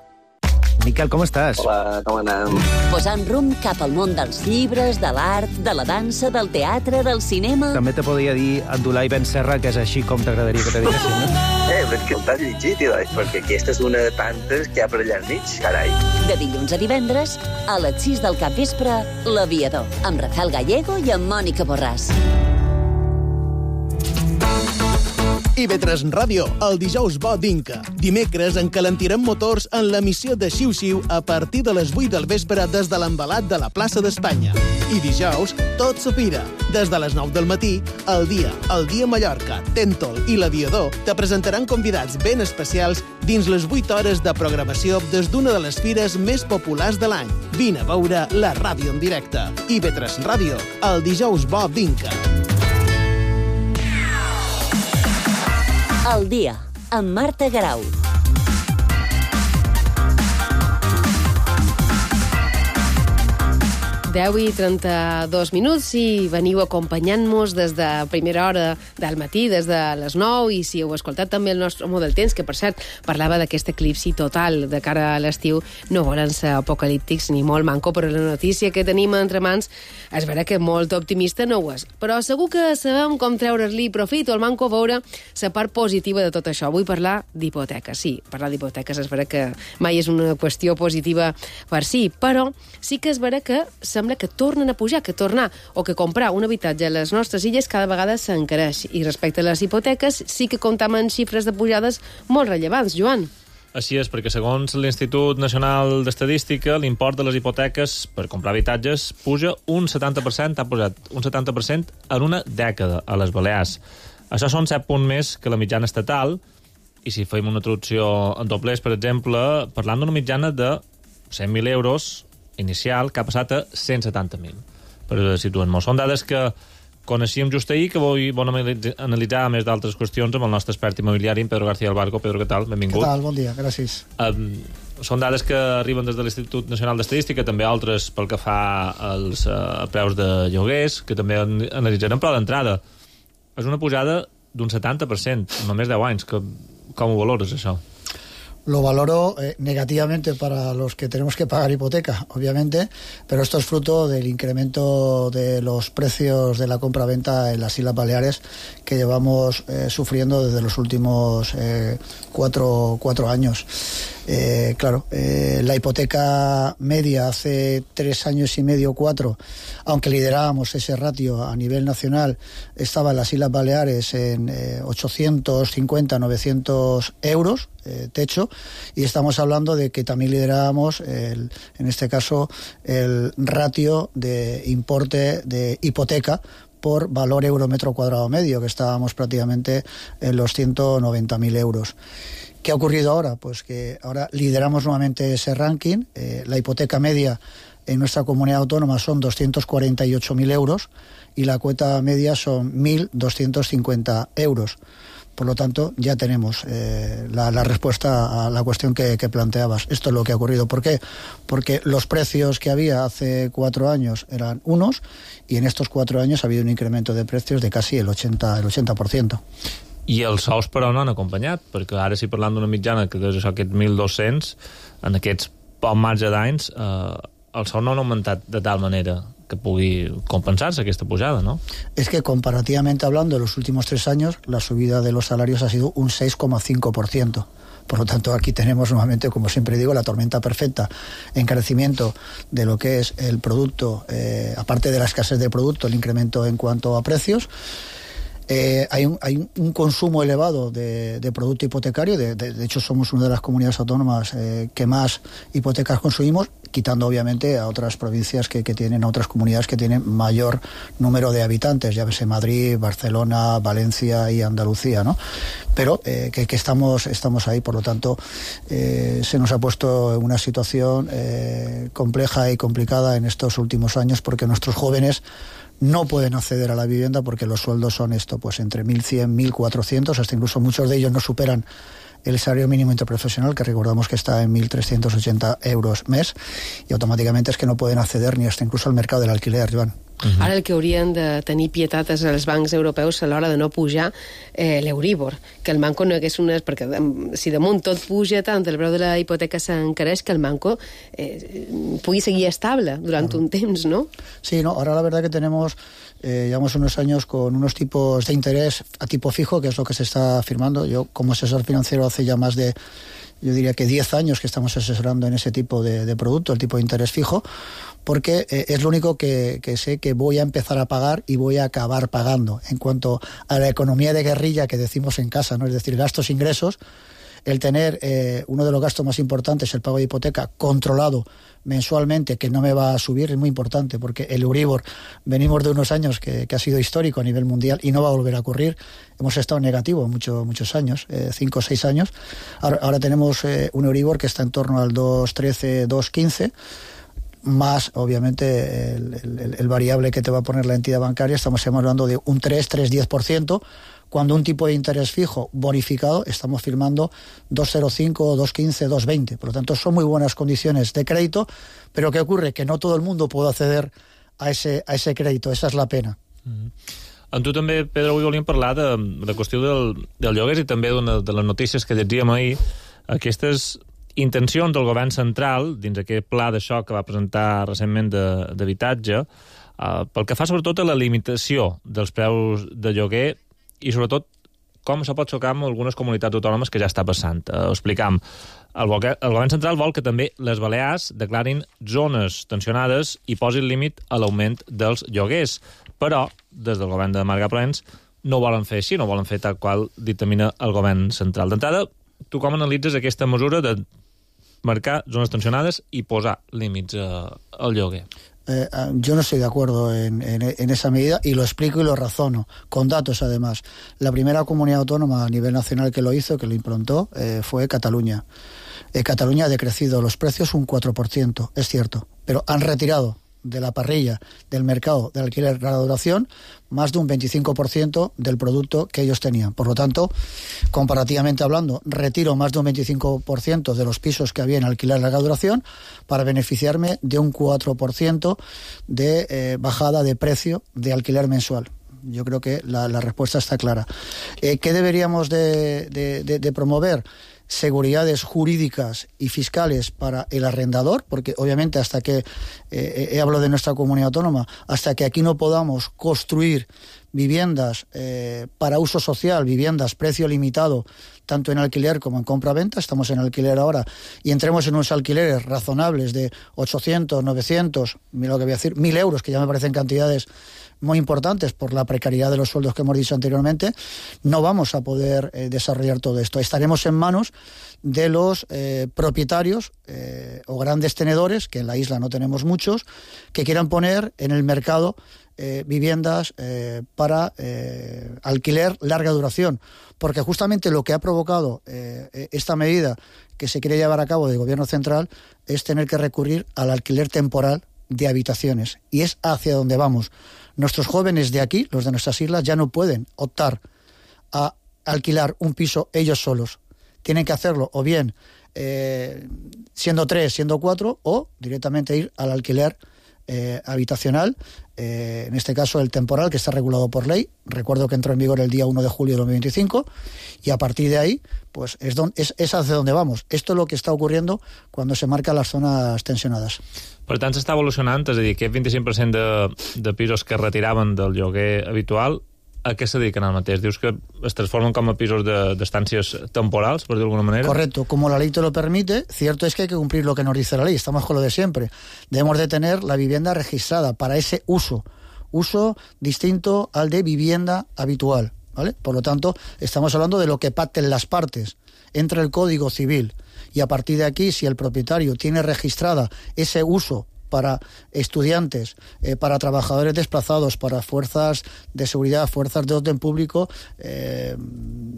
Miquel, com estàs? Hola, com anem? Posant rumb cap al món dels llibres, de l'art, de la dansa, del teatre, del cinema... També te podria dir Abdulai Ben Serra, que és així com t'agradaria que te diguessin, no? Però és que t'has llegit, perquè aquesta és una de tantes que hi ha per allà al mig, carai. De dilluns a divendres, a les 6 del capvespre, L'Aviador, amb Rafael Gallego i amb Mònica Borràs. IB3 Ràdio, el dijous bo d'Inca. Dimecres encalentirem motors en l'emissió de Xiu-Xiu a partir de les 8 del vespre des de l'embalat de la plaça d'Espanya. I dijous, tot s'opira. Des de les 9 del matí, el dia Mallorca, Tèntol i l'Aviador te presentaran convidats ben especials dins les 8 hores de programació des d'una de les fires més populars de l'any. Vine a veure la ràdio en directe. IB3 Ràdio, el dijous bo d'Inca. El dia, amb Marta Garau. 10 i 32 minuts i veniu acompanyant-nos des de primera hora del matí, des de les 9, i si heu escoltat també el nostre home del temps, que per cert parlava d'aquest eclipsi total de cara a l'estiu, no volen ser apocalíptics ni molt manco, però la notícia que tenim entre mans és vera que molt optimista no ho és, però segur que sabem com treure-li profit o el manco veure la part positiva de tot això. Vull parlar d'hipoteques. Sí, parlar d'hipoteques és vera que mai és una qüestió positiva per si, però sí que és vera que sembla que tornen a pujar, que tornar o que comprar un habitatge a les nostres illes cada vegada s'encareix. I respecte a les hipoteques sí que comptam en xifres de pujades molt rellevants. Joan? Així és, perquè segons l'Institut Nacional d'Estadística, l'import de les hipoteques per comprar habitatges puja un 70%, ha pujat un 70% en una dècada a les Balears. Això són 7 punts més que la mitjana estatal, i si fem una traducció en doblers, per exemple, parlant d'una mitjana de 100.000 euros inicial, que ha passat a 170.000. Per situar-nos. Són dades que coneixíem just ahir, que avui vam analitzar, a més d'altres qüestions, amb el nostre expert immobiliari, Pedro García Albarco. Pedro, què tal? Benvingut. Què tal? Bon dia, gràcies. Són dades que arriben des de l'Institut Nacional d'Estadística, també altres pel que fa als preus de lloguers, que també analitzarem, però d'entrada és una pujada d'un 70% en només 10 anys. Com ho valores, això? Lo valoro negativamente para los que tenemos que pagar hipoteca, obviamente, pero esto es fruto del incremento de los precios de la compra-venta en las Islas Baleares que llevamos sufriendo desde los últimos 4 años. La hipoteca media hace 3 años y medio, 4, aunque liderábamos ese ratio a nivel nacional, estaba en las Islas Baleares en 850, 900 euros techo, y estamos hablando de que también liderábamos en este caso el ratio de importe de hipoteca por valor euro metro cuadrado medio, que estábamos prácticamente en los 190.000 euros. ¿Qué ha ocurrido ahora? Pues que ahora lideramos nuevamente ese ranking. La hipoteca media en nuestra comunidad autónoma son 248.000 euros y la cuota media son 1.250 euros. Por lo tanto, ya tenemos la respuesta a la cuestión que planteabas. Esto es lo que ha ocurrido. ¿Por qué? Porque los precios que había hace 4 años eran unos y en estos 4 años ha habido un incremento de precios de casi el 80%. I els sous, però, no han acompanyat, perquè ara, si parlant d'una mitjana que és això, aquests 1.200, en aquests poc marge d'anys, els sous no han augmentat de tal manera que pugui compensarse aquesta pujada, ¿no? Es que comparativamente hablando, en los últimos 3 años, la subida de los salarios ha sido un 6,5%. Por lo tanto, aquí tenemos nuevamente, como siempre digo, la tormenta perfecta. Encarecimiento de lo que es el producto, aparte de la escasez de producto, el incremento en cuanto a precios. Hay un consumo elevado de producto hipotecario. De hecho, somos una de las comunidades autónomas que más hipotecas consumimos, quitando obviamente a otras provincias que tienen, a otras comunidades que tienen mayor número de habitantes, llámese Madrid, Barcelona, Valencia y Andalucía, ¿no? Pero que estamos ahí. Por lo tanto, se nos ha puesto en una situación compleja y complicada en estos últimos años, porque nuestros jóvenes no pueden acceder a la vivienda porque los sueldos son pues entre 1.100, 1.400, hasta incluso muchos de ellos no superan el salario mínimo interprofesional, que recordamos que está en 1.380 euros mes, y automáticamente es que no pueden acceder ni hasta incluso al mercado del alquiler, Joan. Ara el que haurien de tenir pietat és els bancs europeus a l'hora de no pujar l'Euríbor, que el Banco no hagués unes... Perquè si damunt tot puja tant, el preu de la hipoteca s'encareix, que el Banco pugui seguir estable durant un temps, ¿no? Sí, no, ahora la verdad que llevamos unos años con unos tipos de interés a tipo fijo, que es lo que se está firmando. Yo, como asesor financiero, hace ya más de, yo diría que 10 años que estamos asesorando en ese tipo de producto, el tipo de interés fijo, porque es lo único que sé que voy a empezar a pagar y voy a acabar pagando. En cuanto a la economía de guerrilla que decimos en casa, ¿no? Es decir, gastos-ingresos, el tener uno de los gastos más importantes, el pago de hipoteca, controlado mensualmente, que no me va a subir, es muy importante, porque el Euribor, venimos de unos años que ha sido histórico a nivel mundial y no va a volver a ocurrir. Hemos estado negativo muchos años, 5 o 6 años. Ahora tenemos un Euribor que está en torno al 2,13, 2,15, más obviamente el variable que te va a poner la entidad bancaria. Estamos hablando de un 3-10%, cuando un tipo de interés fijo bonificado estamos firmando 2,05, 2,15, 2,20. Por lo tanto, son muy buenas condiciones de crédito, pero ¿qué ocurre? Que no todo el mundo puede acceder a ese crédito. Esa es la pena. Amb tu també, Pedro, avui volíem parlar de la qüestió del lloguer i també de les notícies que llegíem ahir, aquestes intencions del govern central, dins aquest pla de xoc que va presentar recentment d'habitatge, pel que fa sobretot a la limitació dels preus de lloguer i sobretot com això pot xocar amb algunes comunitats autònomes que ja està passant. Explicam, el govern central vol que també les Balears declarin zones tensionades i posin límit a l'augment dels lloguers, però des del govern de Marga Proens no ho volen fer així, no ho volen fer tal qual dictamina el govern central. D'entrada, tu com analitzes aquesta mesura de marcar zonas tensionadas y posar límites al lloguer? Yo no estoy de acuerdo en esa medida, y lo explico y lo razono, con datos además. La primera comunidad autónoma a nivel nacional que lo hizo, que lo implantó, fue Cataluña. Cataluña ha decrecido los precios un 4%, es cierto, pero han retirado de la parrilla del mercado del alquiler larga duración más de un 25% del producto que ellos tenían. Por lo tanto, comparativamente hablando, retiro más de un 25% de los pisos que había en alquiler larga duración para beneficiarme de un 4% de bajada de precio de alquiler mensual. Yo creo que la respuesta está clara. ¿Qué deberíamos de promover? Seguridades jurídicas y fiscales para el arrendador, porque obviamente hasta que, hablo de nuestra comunidad autónoma, hasta que aquí no podamos construir viviendas para uso social, viviendas precio limitado, tanto en alquiler como en compra-venta, estamos en alquiler ahora, y entremos en unos alquileres razonables de 800, 900, lo que voy a decir, 1.000 euros, que ya me parecen cantidades muy importantes por la precariedad de los sueldos que hemos dicho anteriormente, no vamos a poder desarrollar todo esto. Estaremos en manos de los propietarios o grandes tenedores, que en la isla no tenemos muchos, que quieran poner en el mercado viviendas para alquiler larga duración, porque justamente lo que ha provocado esta medida que se quiere llevar a cabo del gobierno central es tener que recurrir al alquiler temporal de habitaciones, y es hacia donde vamos. Nuestros jóvenes de aquí, los de nuestras islas, ya no pueden optar a alquilar un piso ellos solos. Tienen que hacerlo o bien siendo 3, siendo 4, o directamente ir al alquiler habitacional, en este caso el temporal, que está regulado por ley. Recuerdo que entró en vigor el día 1 de julio de 2025, y a partir de ahí pues es hacia donde vamos. Esto es lo que está ocurriendo cuando se marcan las zones tensionadas. Per tant, s'està evolucionant, és a dir, aquest 25% de pisos que retiraven del lloguer habitual, a què se dediquen ara mateix? Dius que es transformen com a pisos d'estàncies temporals, per dir d'alguna manera? Correcto, como la ley te lo permite. Cierto es que hay que cumplir lo que nos dice la ley, estamos con lo de siempre. Debemos de tener la vivienda registrada para ese uso distinto al de vivienda habitual, ¿vale? Por lo tanto, estamos hablando de lo que pacten las partes. Entra el Código Civil, y a partir de aquí, si el propietario tiene registrada ese uso para estudiantes, para trabajadores desplazados, para fuerzas de seguridad, fuerzas de orden público,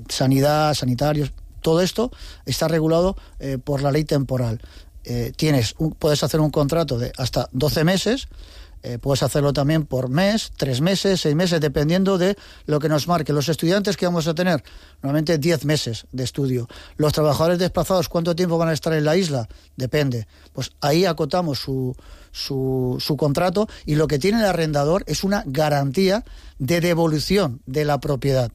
sanidad, sanitarios, todo esto está regulado por la ley temporal. Puedes hacer un contrato de hasta 12 meses, puedes hacerlo también por mes, 3 meses, 6 meses, dependiendo de lo que nos marque. Los estudiantes que vamos a tener, normalmente 10 meses de estudio. Los trabajadores desplazados, ¿cuánto tiempo van a estar en la isla? Depende. Pues ahí acotamos su contrato, y lo que tiene el arrendador es una garantía de devolución de la propiedad.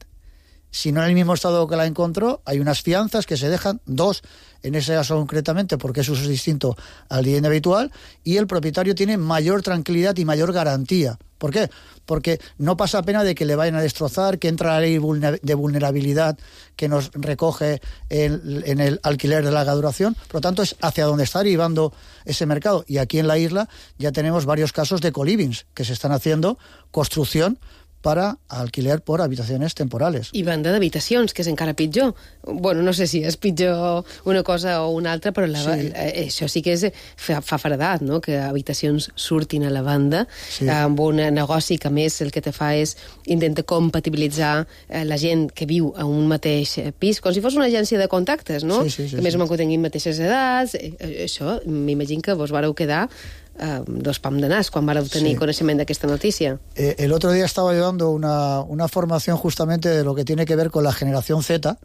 Si no en el mismo estado que la encontró, hay unas fianzas que se dejan, 2 en ese caso concretamente, porque eso es distinto al vivienda habitual, y el propietario tiene mayor tranquilidad y mayor garantía. ¿Por qué? Porque no pasa pena de que le vayan a destrozar, que entra la ley de vulnerabilidad que nos recoge en el alquiler de larga duración. Por lo tanto, es hacia donde está derivando ese mercado. Y aquí en la isla ya tenemos varios casos de colivings que se están haciendo, construcción para alquiler por habitacions temporales. I venda d'habitacions, que és encara pitjor. Bueno, no sé si és pitjor una cosa o una altra, però això sí que fa fredat, no?, que habitacions surtin a la venda, amb un negoci que, més, el que te fa és intenta compatibilitzar la gent que viu a un mateix pis, com si fos una agència de contactes, no? Que més o menys que tinguin mateixes edats. Això, m'imagino que vos vareu quedar dos pam de nas quan vareu tenir coneixement d'aquesta notícia. El otro día estaba llevando una formación justamente de lo que tiene que ver con la generación Z,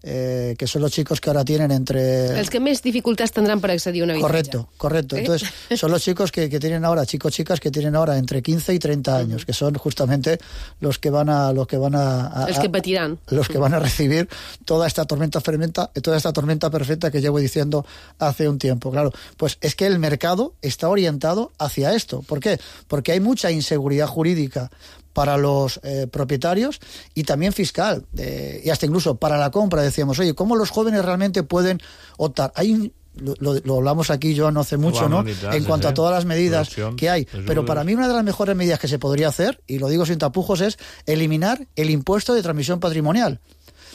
que son los chicos que ahora tienen entre... Els que més dificultats tendran per accedir a un habitatge. Correcto. Entonces, son los chicos que tienen ahora, chicas que tienen ahora entre 15 y 30 años, que son justamente los que van a els que patirán. Los que van a recibir toda esta tormenta perfecta que llevo diciendo hace un tiempo. Claro, pues es que el mercado está orientado hacia esto. ¿Por qué? Porque hay mucha inseguridad jurídica para los propietarios, y también fiscal, y hasta incluso para la compra. Decíamos, oye, ¿cómo los jóvenes realmente pueden optar? Lo hablamos aquí, yo no hace mucho, ¿no?, en cuanto a todas las medidas que hay. Pero para mí una de las mejores medidas que se podría hacer, y lo digo sin tapujos, es eliminar el impuesto de transmisión patrimonial.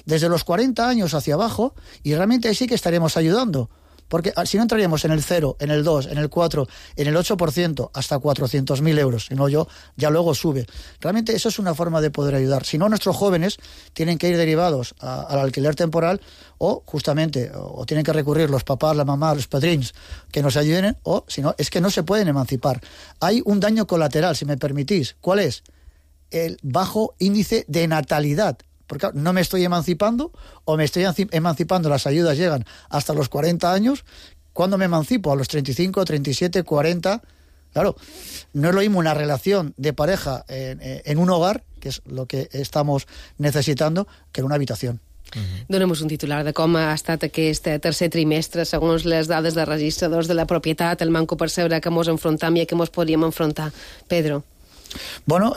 Desde los 40 años hacia abajo, y realmente ahí sí que estaríamos ayudando. Porque si no entraríamos en el 0, en el 2, en el 4, en el 8%, hasta 400.000 euros, si no ya luego sube. Realmente eso es una forma de poder ayudar. Si no, nuestros jóvenes tienen que ir derivados al alquiler temporal o justamente, o tienen que recurrir los papás, la mamá, los padrins que nos ayuden, o si no, es que no se pueden emancipar. Hay un daño colateral, si me permitís. ¿Cuál es? El bajo índice de natalidad. Porque no me estoy emancipando, o me estoy emancipando, las ayudas llegan hasta los 40 años. ¿Cuándo me emancipo? A los 35, 37, 40. Claro, no es lo mismo una relación de pareja en un hogar, que es lo que estamos necesitando, que en una habitación. Donem-nos un titular de com ha estat aquest tercer trimestre segons les dades de registradors de la propietat, el manco percebre que mos enfrontam i a què mos podríem enfrontar. Pedro. Bueno,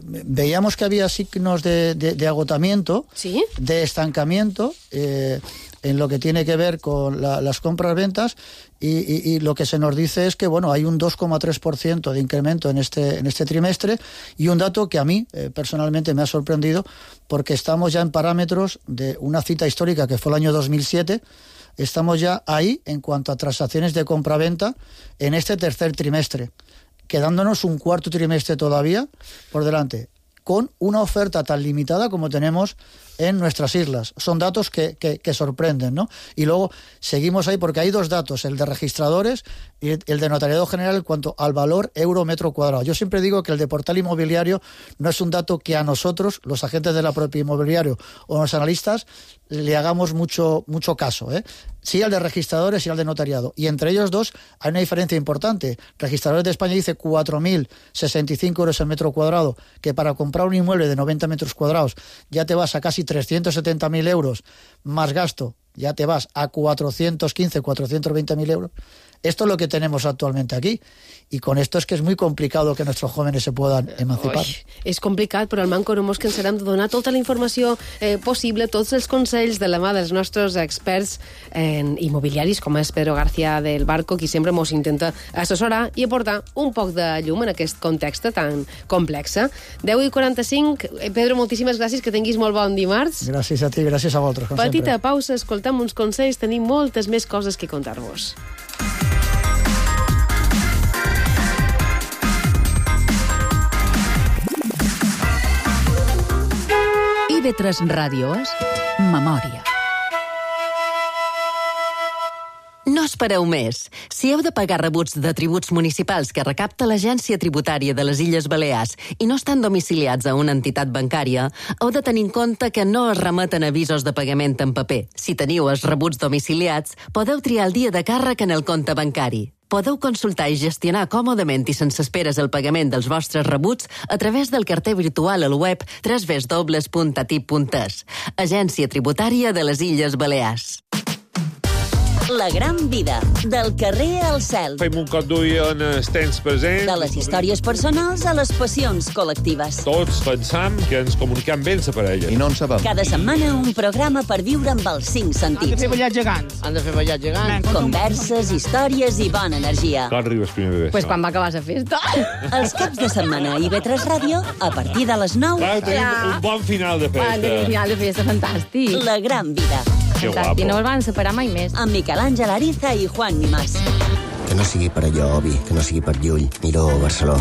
veíamos que había signos de agotamiento, ¿sí?, de estancamiento en lo que tiene que ver con las compras-ventas y lo que se nos dice es que bueno, hay un 2,3% de incremento en este trimestre y un dato que a mí personalmente me ha sorprendido porque estamos ya en parámetros de una cita histórica que fue el año 2007. Estamos ya ahí en cuanto a transacciones de compra-venta en este tercer trimestre, quedándonos un cuarto trimestre todavía por delante, con una oferta tan limitada como tenemos en nuestras islas. Son datos que sorprenden, ¿no? Y luego seguimos ahí porque hay dos datos, el de registradores y el de notariado general en cuanto al valor euro metro cuadrado. Yo siempre digo que el de portal inmobiliario no es un dato que a nosotros, los agentes de la propia inmobiliario o los analistas, le hagamos mucho caso, ¿eh? Sí al de registradores y al de notariado. Y entre ellos dos hay una diferencia importante. Registradores de España dice 4.065 euros el metro cuadrado, que para comprar un inmueble de 90 metros cuadrados ya te vas a casi 370.000 euros más gasto, ya te vas a 415, 420.000 euros. Esto es lo que tenemos actualmente aquí. I con esto és que és muy complicado que nuestros jóvenes se puedan emancipar. És complicat, però al Manco no mos cansarem de donar tota la informació possible, tots els consells de la mà dels nostres experts en immobiliaris, com és Pedro García del Barco, qui sempre mos intenta assessorar i aportar un poc de llum en aquest context tan complex. 10:45. Pedro, moltíssimes gràcies, que tinguis molt bon dimarts. Gràcies a ti, gràcies a vosaltres. Petita pausa, escoltem uns consells, tenim moltes més coses que contar-vos. IB3 Ràdio és Memòria. No espereu més. Si heu de pagar rebuts de tributs municipals que recapta l'Agència Tributària de les Illes Balears i no estan domiciliats a una entitat bancària, heu de tenir en compte que no es remeten avisos de pagament en paper. Si teniu els rebuts domiciliats, podeu triar el dia de càrrec en el compte bancari. Podeu consultar i gestionar còmodament i sense esperes el pagament dels vostres rebuts a través del carter virtual al web www.atip.es. Agència Tributària de les Illes Balears. La gran vida, del carrer al cel. Fem un cop d'ull en els temps presents. De les històries personals a les passions col·lectives. Tots pensam que ens comunicam bé amb la parella. I no en sabem. Cada setmana un programa per viure amb els 5 sentits. Han de fer ballar gegants. Han de fer ballar gegants. Converses, històries i bona energia. Quan arribes primer de Pues quan va acabar la festa. Els caps de setmana a IB3 Ràdio, a partir de les 9. Clar, tenim un bon final de festa. Tenim un final de festa fantàstic. La gran vida. Que guapo. I no els van separar mai més. Amb Miquel Àngel Ariza i Juan Mimàs. Que no sigui per allò, Obi, que no sigui per Llull, Miró o Barceló.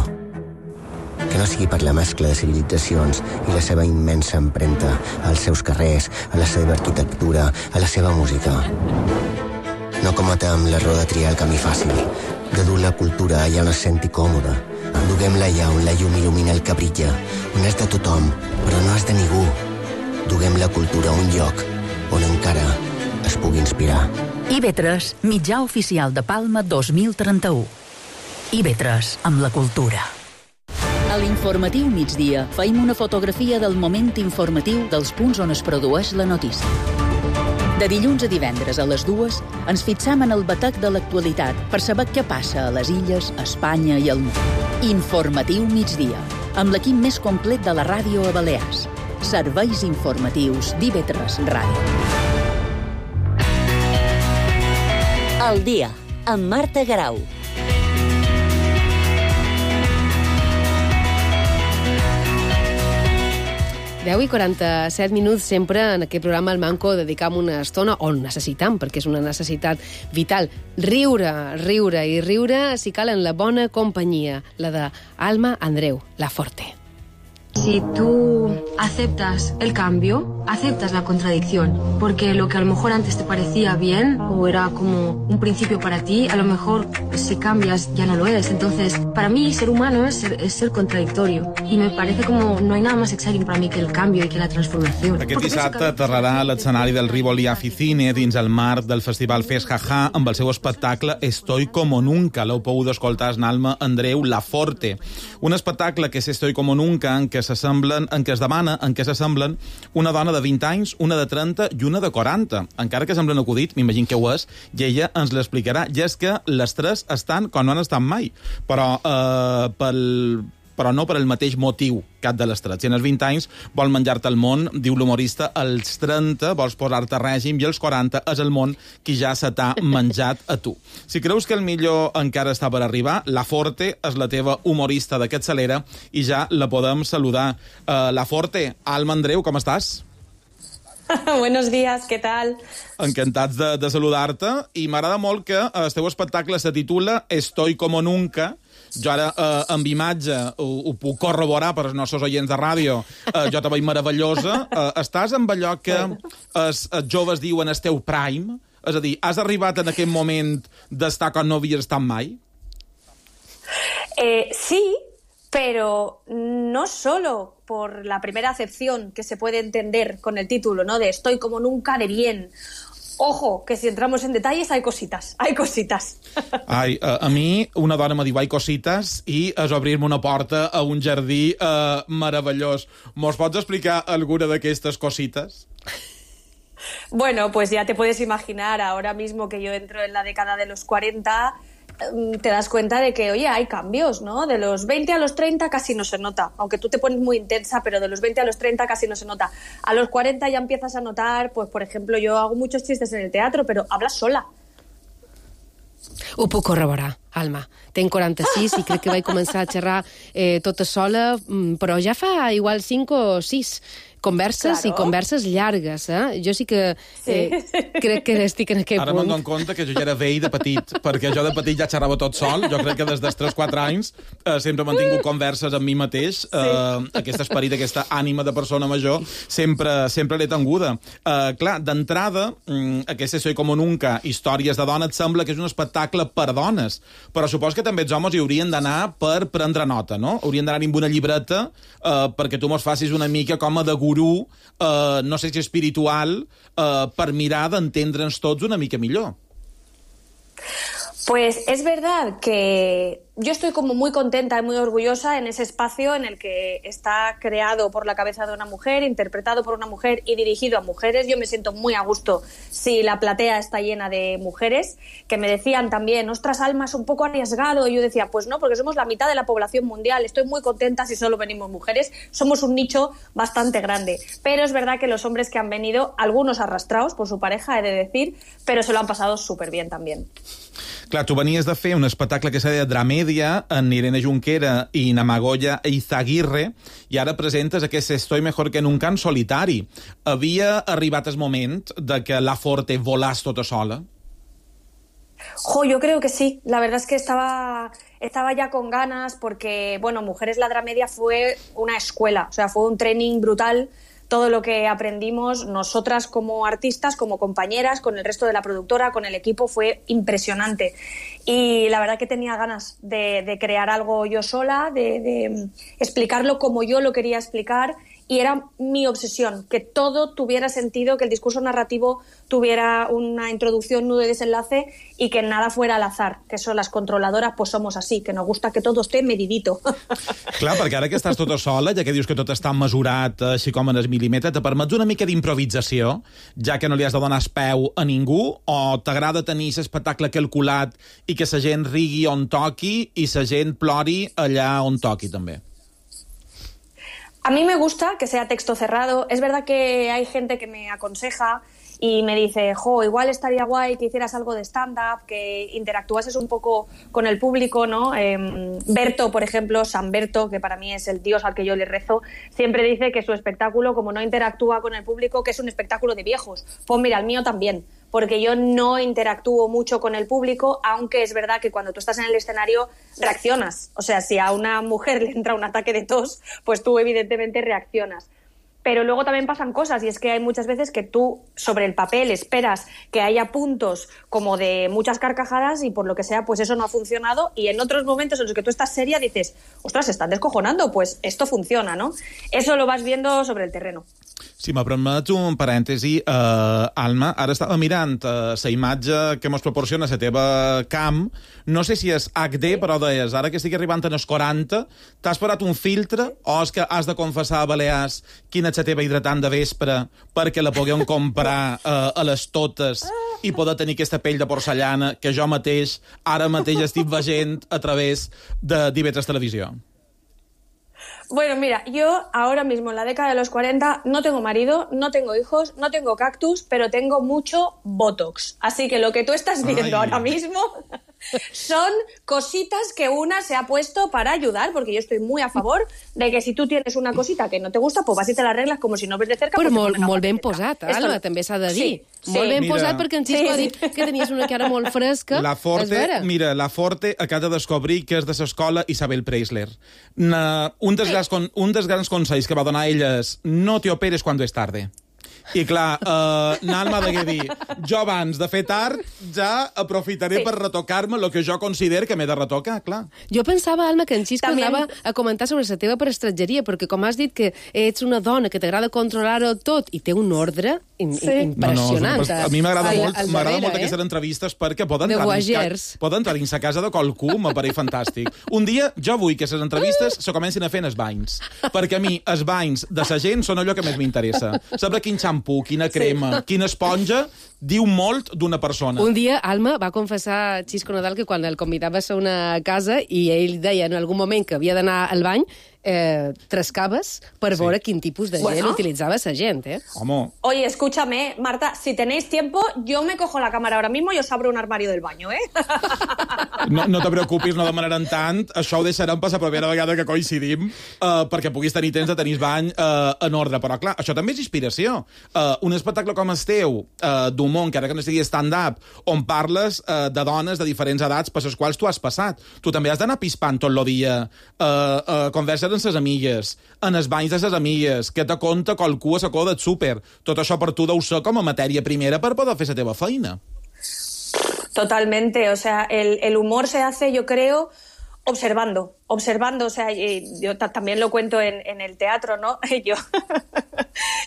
Que no sigui per la mescla de civilitzacions i la seva immensa empremta als seus carrers, a la seva arquitectura, a la seva música. No cometem l'error de triar el camí fàcil, de dur la cultura allà on es senti còmode. Duguem-la allà on la llum il·lumina el que brilla, on és de tothom, però no és de ningú. Duguem la cultura a un lloc on encara es pugui inspirar. IB3, mitjà oficial de Palma 2031. IB3, amb la cultura. A l'informatiu migdia feim una fotografia del moment informatiu dels punts on es produeix la notícia. De dilluns a divendres a les 2 ens fixam en el batec de l'actualitat per saber què passa a les illes, a Espanya i al món. Informatiu migdia, amb l'equip més complet de la ràdio a Balears. Serveis informatius d'IB3 Ràdio. El dia, amb Marta Garau. 10:47 minuts, sempre en aquest programa al Manco dedicam una estona, o necessitam, perquè és una necessitat vital, riure i riure si cal en la bona companyia, la de Alma Andreu, la Forte. Si tú aceptas el cambio, aceptas la contradicción, porque lo que a lo mejor antes te parecía bien o era como un principio para ti, a lo mejor si cambias ya no lo es. Entonces, para mí ser humano es ser contradictorio y me parece como no hay nada más exciting para mí que el cambio y que la transformación. Aquest dissabte aterrarà a l'escenari del Rivoli Aficine dins el marc del festival Fes Jaja amb el seu espectacle Estoy como nunca. L'heu pogut escoltar en Alma Andreu, La Forte. Un espectacle que és Estoy como nunca, en què s'assemblen una dona de 20 anys, una de 30 i una de 40. Encara que semblen acudit, m'imagino que ho és, i ella ens l'explicarà. I és que les tres estan com no han estat mai, però no per el mateix motiu, cap de les tres. Si en els 20 anys vol menjar-te el món, diu l'humorista, als 30 vols posar-te règim i als 40 és el món qui ja se t'ha menjat a tu. Si creus que el millor encara està per arribar, La Forte és la teva humorista de capçalera i ja la podem saludar. La Forte, Alma Andreu, com estàs? Buenos días, ¿qué tal? Encantats de saludar-te i m'agrada molt que el teu espectacle se titula Estoy como nunca. Jo ara, amb imatge, ho puc corroborar per als nostres oients de ràdio. Jo te veig meravellosa. Estàs amb allò que els joves diuen el teu prime? És a dir, has arribat en aquest moment d'estar com no havies estat mai? Sí, pero no solo por la primera acepción que se puede entender con el título, ¿no? De Estoy como nunca de bien. Ojo, que si entramos en detalles hay cositas. Ai, a mi una dona me diu hay cositas i és obrir-me una porta a un jardí meravellós. Mos pots explicar alguna d'aquestes cositas? Bueno, pues ya te puedes imaginar ahora mismo que yo entro en la década de los 40, te das cuenta de que, oye, hay cambios, ¿no? De los 20 a los 30 casi no se nota, aunque tú te pones muy intensa, pero de los 20 a los 30 casi no se nota. A los 40 ya empiezas a notar, pues, por ejemplo, yo hago muchos chistes en el teatro, pero hablas sola. Ho puc corroborar, Alma. Tenc 46 i crec que vaig començar a xerrar tota sola, però ja fa igual 5 o 6 converses, claro. I converses llargues, eh? Jo sí que crec que estic en aquest punt. Ara me'n dono compte que jo ja era vell de petit, perquè jo de petit ja xerrava tot sol. Jo crec que des dels 3-4 anys sempre he mantingut converses amb mi mateix. Aquest esperit, aquesta ànima de persona major, sempre l'he tinguda. Clar, d'entrada, aquesta Soy como nunca, històries de dona, et sembla que és un espectacle per dones, però supos que també els homes hi haurien d'anar per prendre nota, no? Haurien d'anar amb una llibreta perquè tu mos facis una mica com a de gurú, no sé si espiritual, per mirar d'entendre'ns tots una mica millor. Pues es verdad que yo estoy como muy contenta y muy orgullosa en ese espacio en el que está creado por la cabeza de una mujer, interpretado por una mujer y dirigido a mujeres. Yo me siento muy a gusto si la platea está llena de mujeres, que me decían también, ostras, Alma, es un poco arriesgado. Y yo decía, pues no, porque somos la mitad de la población mundial. Estoy muy contenta si solo venimos mujeres. Somos un nicho bastante grande. Pero es verdad que los hombres que han venido, algunos arrastrados por su pareja, he de decir, pero se lo han pasado súper bien también. Clar, tu venies de fer un espectacle que s'ha de Dramèdia en Irene Junquera i Namagoya Eizaguirre i ara presentes aquest Estoy mejor que nunca en solitari. Havia arribat el moment de que La Forte volàs tota sola? Yo creo que sí. La verdad es que estaba ya con ganas porque, bueno, Mujeres la Dramedia fue una escuela, o sea, fue un training brutal. Todo lo que aprendimos nosotras como artistas, como compañeras, con el resto de la productora, con el equipo, fue impresionante. Y la verdad que tenía ganas de crear algo yo sola, de explicarlo como yo lo quería explicar. Y era mi obsesión, que todo tuviera sentido, que el discurso narrativo tuviera una introducción, nudo y desenlace y que nada fuera al azar, que eso las controladoras pues somos así, que nos gusta que todo esté medidito. Clar, perquè ara que estàs tota sola, ja que dius que tot està mesurat així com en el mil·límetre, te permets una mica d'improvisació, ja que no li has de donar peu a ningú, o t'agrada tenir l'espectacle calculat i que la gent rigui on toqui i la gent plori allà on toqui també? A mí me gusta que sea texto cerrado. Es verdad que hay gente que me aconseja y me dice, igual estaría guay que hicieras algo de stand-up, que interactuases un poco con el público, ¿no? Berto, por ejemplo, San Berto, que para mí es el dios al que yo le rezo, siempre dice que su espectáculo, como no interactúa con el público, que es un espectáculo de viejos. Pues mira, el mío también, porque yo no interactúo mucho con el público, aunque es verdad que cuando tú estás en el escenario reaccionas. O sea, si a una mujer le entra un ataque de tos, pues tú evidentemente reaccionas. Pero luego también pasan cosas, y es que hay muchas veces que tú sobre el papel esperas que haya puntos como de muchas carcajadas y por lo que sea, pues eso no ha funcionado, y en otros momentos en los que tú estás seria dices, ostras, se están descojonando, pues esto funciona, ¿no? Eso lo vas viendo sobre el terreno. Si me permets un parèntesi, Alma, ara estava mirant la imatge que mos proporciona la teva cam. No sé si és HD, però deies, ara que estic arribant als 40, t'has posat un filtre o és que has de confessar a Balears quina és la teva hidratant de vespre perquè la puguem comprar a les totes i poder tenir aquesta pell de porcellana que jo mateix, ara mateix estic veient a través d'IV3 Televisió? Bueno, mira, yo ahora mismo en la década de los 40 no tengo marido, no tengo hijos, no tengo cactus, pero tengo mucho Botox. Así que lo que tú estás viendo ahora mismo son cositas que una se ha puesto para ayudar, porque yo estoy muy a favor de que si tú tienes una cosita que no te gusta, pues vas y te la arreglas como si no ves de cerca. Però molt ben posat, Alma, també s'ha de dir. Molt ben posat, perquè en Xisco ha dit que tenies una cara molt fresca. La Forte acaba de descobrir que és de l'escola Isabel Preisler. Un dels grans consells que va donar ella és no te operes quan és tarde. I clar, Alma degué dir, jo abans de fer tard ja aprofitaré per retocar-me el que jo considero que m'he de retocar, clar. Jo pensava, Alma, que en Xisco anava a comentar sobre la teva prestatgeria, perquè com has dit que ets una dona que t'agrada controlar-ho tot i té un ordre impressionant. A mi m'agrada molt aquestes entrevistes perquè poden entrar dins la casa de qualcú, m'apareix fantàstic. Un dia jo vull que les entrevistes se comencin a fer en els banys, perquè a mi els banys de la gent són allò que més m'interessa. Saber quin xampú, quina crema, quina esponja, diu molt d'una persona. Un dia, Alma va confessar a Xisco Nadal que quan el convidaves a una casa i ell deia en algun moment que havia d'anar al bany, trascaves per veure quin tipus de gel utilizaba esa gente. Home. Oye, escúchame, Marta, si tenéis tiempo, yo me cojo la cámara ahora mismo y os abro un armario del baño, ¿eh? No te preocupis, no demanaran tant. Això ho deixarem per la primera vegada que coincidim, perquè puguis tenir temps de tenir bany en ordre. Però, clar, això també és inspiració. Un espectacle com el teu, d'humor, encara que no sigui stand-up, on parles de dones de diferents edats per les quals tu has passat. Tu també has d'anar pispant tot el dia converses amb ses amigues, en els banys de ses amigues, que te conta qualcú a la coda del súper. Tot això per tu deu ser com a matèria primera per poder fer la teva feina. Totalmente, o sea, el humor se hace, yo creo, observando, o sea, yo también lo cuento en el teatro, ¿no?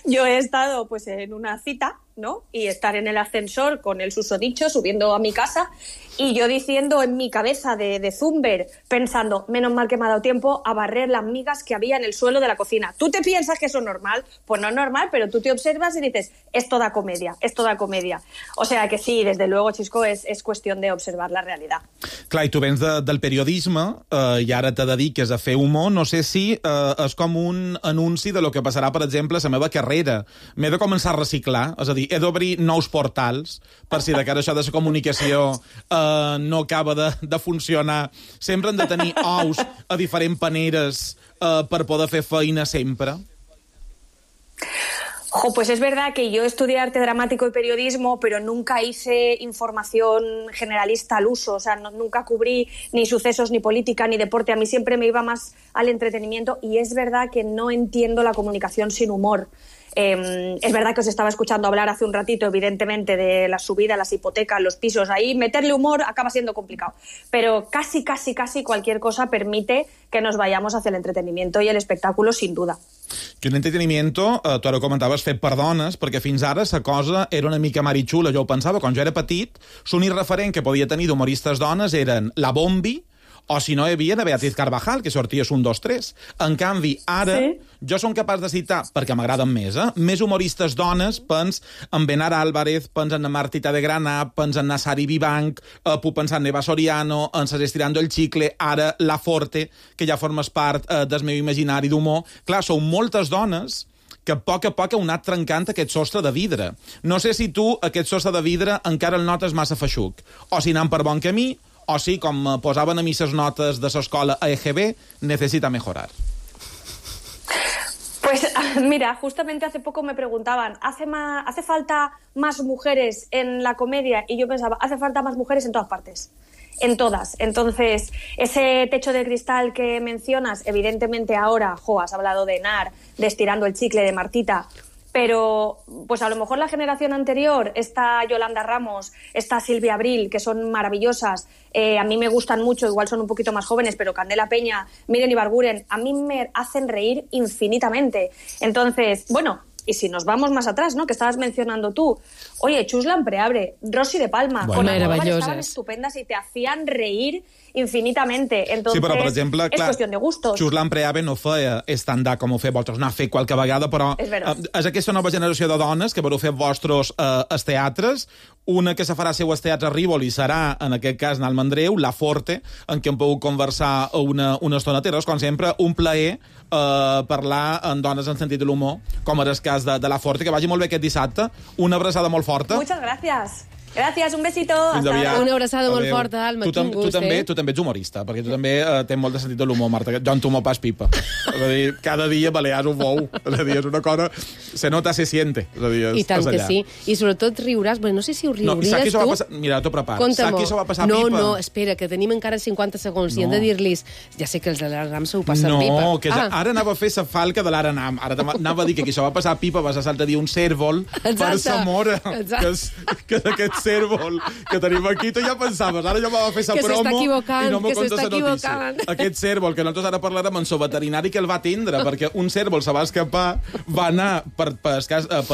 Yo he estado pues en una cita, ¿no? Y estar en el ascensor con el susodicho subiendo a mi casa y yo diciendo en mi cabeza de Zumber, pensando, menos mal que me ha dado tiempo a barrer las migas que había en el suelo de la cocina. ¿Tú te piensas que eso es normal? Pues no es normal, pero tú te observas y dices, es toda comedia. O sea que sí, desde luego, Xisco, es cuestión de observar la realidad. Clar, i tu vens del periodisme i ara te dediques a fer humor. No sé si és com un anunci de lo que passarà, per exemple, a la meva carrera. M'he de començar a reciclar, és a dir, he d'obrir nous portals per si de cara a això de la comunicació no acaba de funcionar. Sempre hem de tenir ous a diferents paneres per poder fer feina sempre. Pues es verdad que yo estudié arte dramático y periodismo, pero nunca hice información generalista al uso, o sea, nunca cubrí ni sucesos, ni política, ni deporte. A mí siempre me iba más al entretenimiento y es verdad que no entiendo la comunicación sin humor. Es verdad que os estaba escuchando hablar hace un ratito, evidentemente, de la subida, las hipotecas, los pisos. Ahí meterle humor acaba siendo complicado. Pero casi cualquier cosa permite que nos vayamos hacia el entretenimiento y el espectáculo, sin duda. I un entretenimiento, tu ara ho comentaves, fet per dones, perquè fins ara la cosa era una mica marichula. Jo ho pensava, quan jo era petit, l'únic referent que podia tenir d'humoristes dones eren la Bombi, o si no hi havia de Beatriz Carvajal, que sortia un, dos, tres. En canvi, ara, jo som capaç de citar, perquè m'agraden més humoristes dones, pens en Benar Álvarez, pens en Martita de Granà, pens en Nassari Vivanc, puc pensar en Eva Soriano, en Ses Estirando el Chicle, ara La Forte, que ja formes part del meu imaginari d'humor. Clar, són moltes dones que a poc ha anat trencant aquest sostre de vidre. No sé si tu aquest sostre de vidre encara el notes massa feixuc, o si anant per bon camí, o si, com posaven a mi ses notes de l'escola a EGB, necesita mejorar. Pues mira, justamente hace poco me preguntaban, ¿hace falta más mujeres en la comedia? Y yo pensaba, hace falta más mujeres en todas partes. En todas. Entonces, ese techo de cristal que mencionas, evidentemente ahora, has hablado de Nar, de Estirando el Chicle, de Martita, pero pues a lo mejor la generación anterior, esta Yolanda Ramos, esta Silvia Abril, que son maravillosas, a mí me gustan mucho, igual son un poquito más jóvenes, pero Candela Peña, Miren Ibarguren, a mí me hacen reír infinitamente. Entonces, bueno, y si nos vamos más atrás, ¿no?, que estabas mencionando tú, oye, Chus Lampreabre, Rosy de Palma, bueno, maravilloses, estaban estupendas y te hacían reír infinitamente. Entonces, sí, però, per exemple, és qüestió de gustos. Chus Lampreabre no feia stand-up com ho feu vosaltres, n'ha fet qualque vegada, però és aquesta nova generació de dones que vareu fer vostres als teatres. Una que se farà seu als teatres Rívoli serà, en aquest cas, en el Mandreu, la Forte, en què hem pogut conversar una estona. Terres, com sempre, un plaer parlar amb dones en sentit de l'humor, com era el cas de la Forte, que vagi molt bé aquest dissabte. Una abraçada molt forta. Muchas gracias. Gracias, un besito. Una abraçada molt forta, Alma. Tu també ets humorista, perquè tu també tens molt de sentit de l'humor, Marta. Jo entomo pas pipa. És a dir, cada dia balears un bou. És a dir, és una cosa... Se nota, se siente. És a dir, I tant que sí. I sobretot riuràs. Bueno, no sé si ho riuries tu. Saps qui s'ho va passar? Mira, t'ho preparo. Saps qui s'ho va passar pipa? No, espera, que tenim encara 50 segons i hem de dir-los... Ja sé que els de l'Aranam s'ho passen pipa. No, que ara anava a fer sa falca de l'Aranam. Ara anava a dir que qui s'ho va passar pipa va saltar a dir un cèrvol per Zamora. Que és aquest cèrvol que tenim aquí, tu ja pensaves, ara ja va fer sa promo i no m'ho contes la notícia. Aquest cèrvol, que nosaltres ara parlarem amb el veterinari que el va atendre, perquè un cèrvol se va escapar, va anar per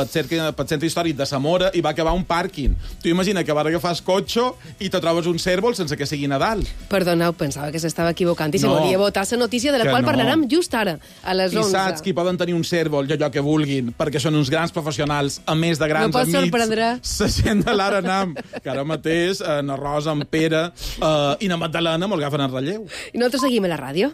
centre històric de Zamora i va acabar un pàrquing. Tu imagina que vas agafar el cotxe i te trobes un cèrvol sense que sigui Nadal. Perdoneu, pensava que s'estava equivocant i se volia votar la notícia de la qual parlarem just ara, a les 11. I saps qui poden tenir un cèrvol, allò que vulguin, perquè són uns grans professionals, a més de grans amics. La gent de l'Aranam, que ara mateix na Rosa, en Pere i na Magdalena me'l agafen en relleu. I nosaltres seguim a la ràdio.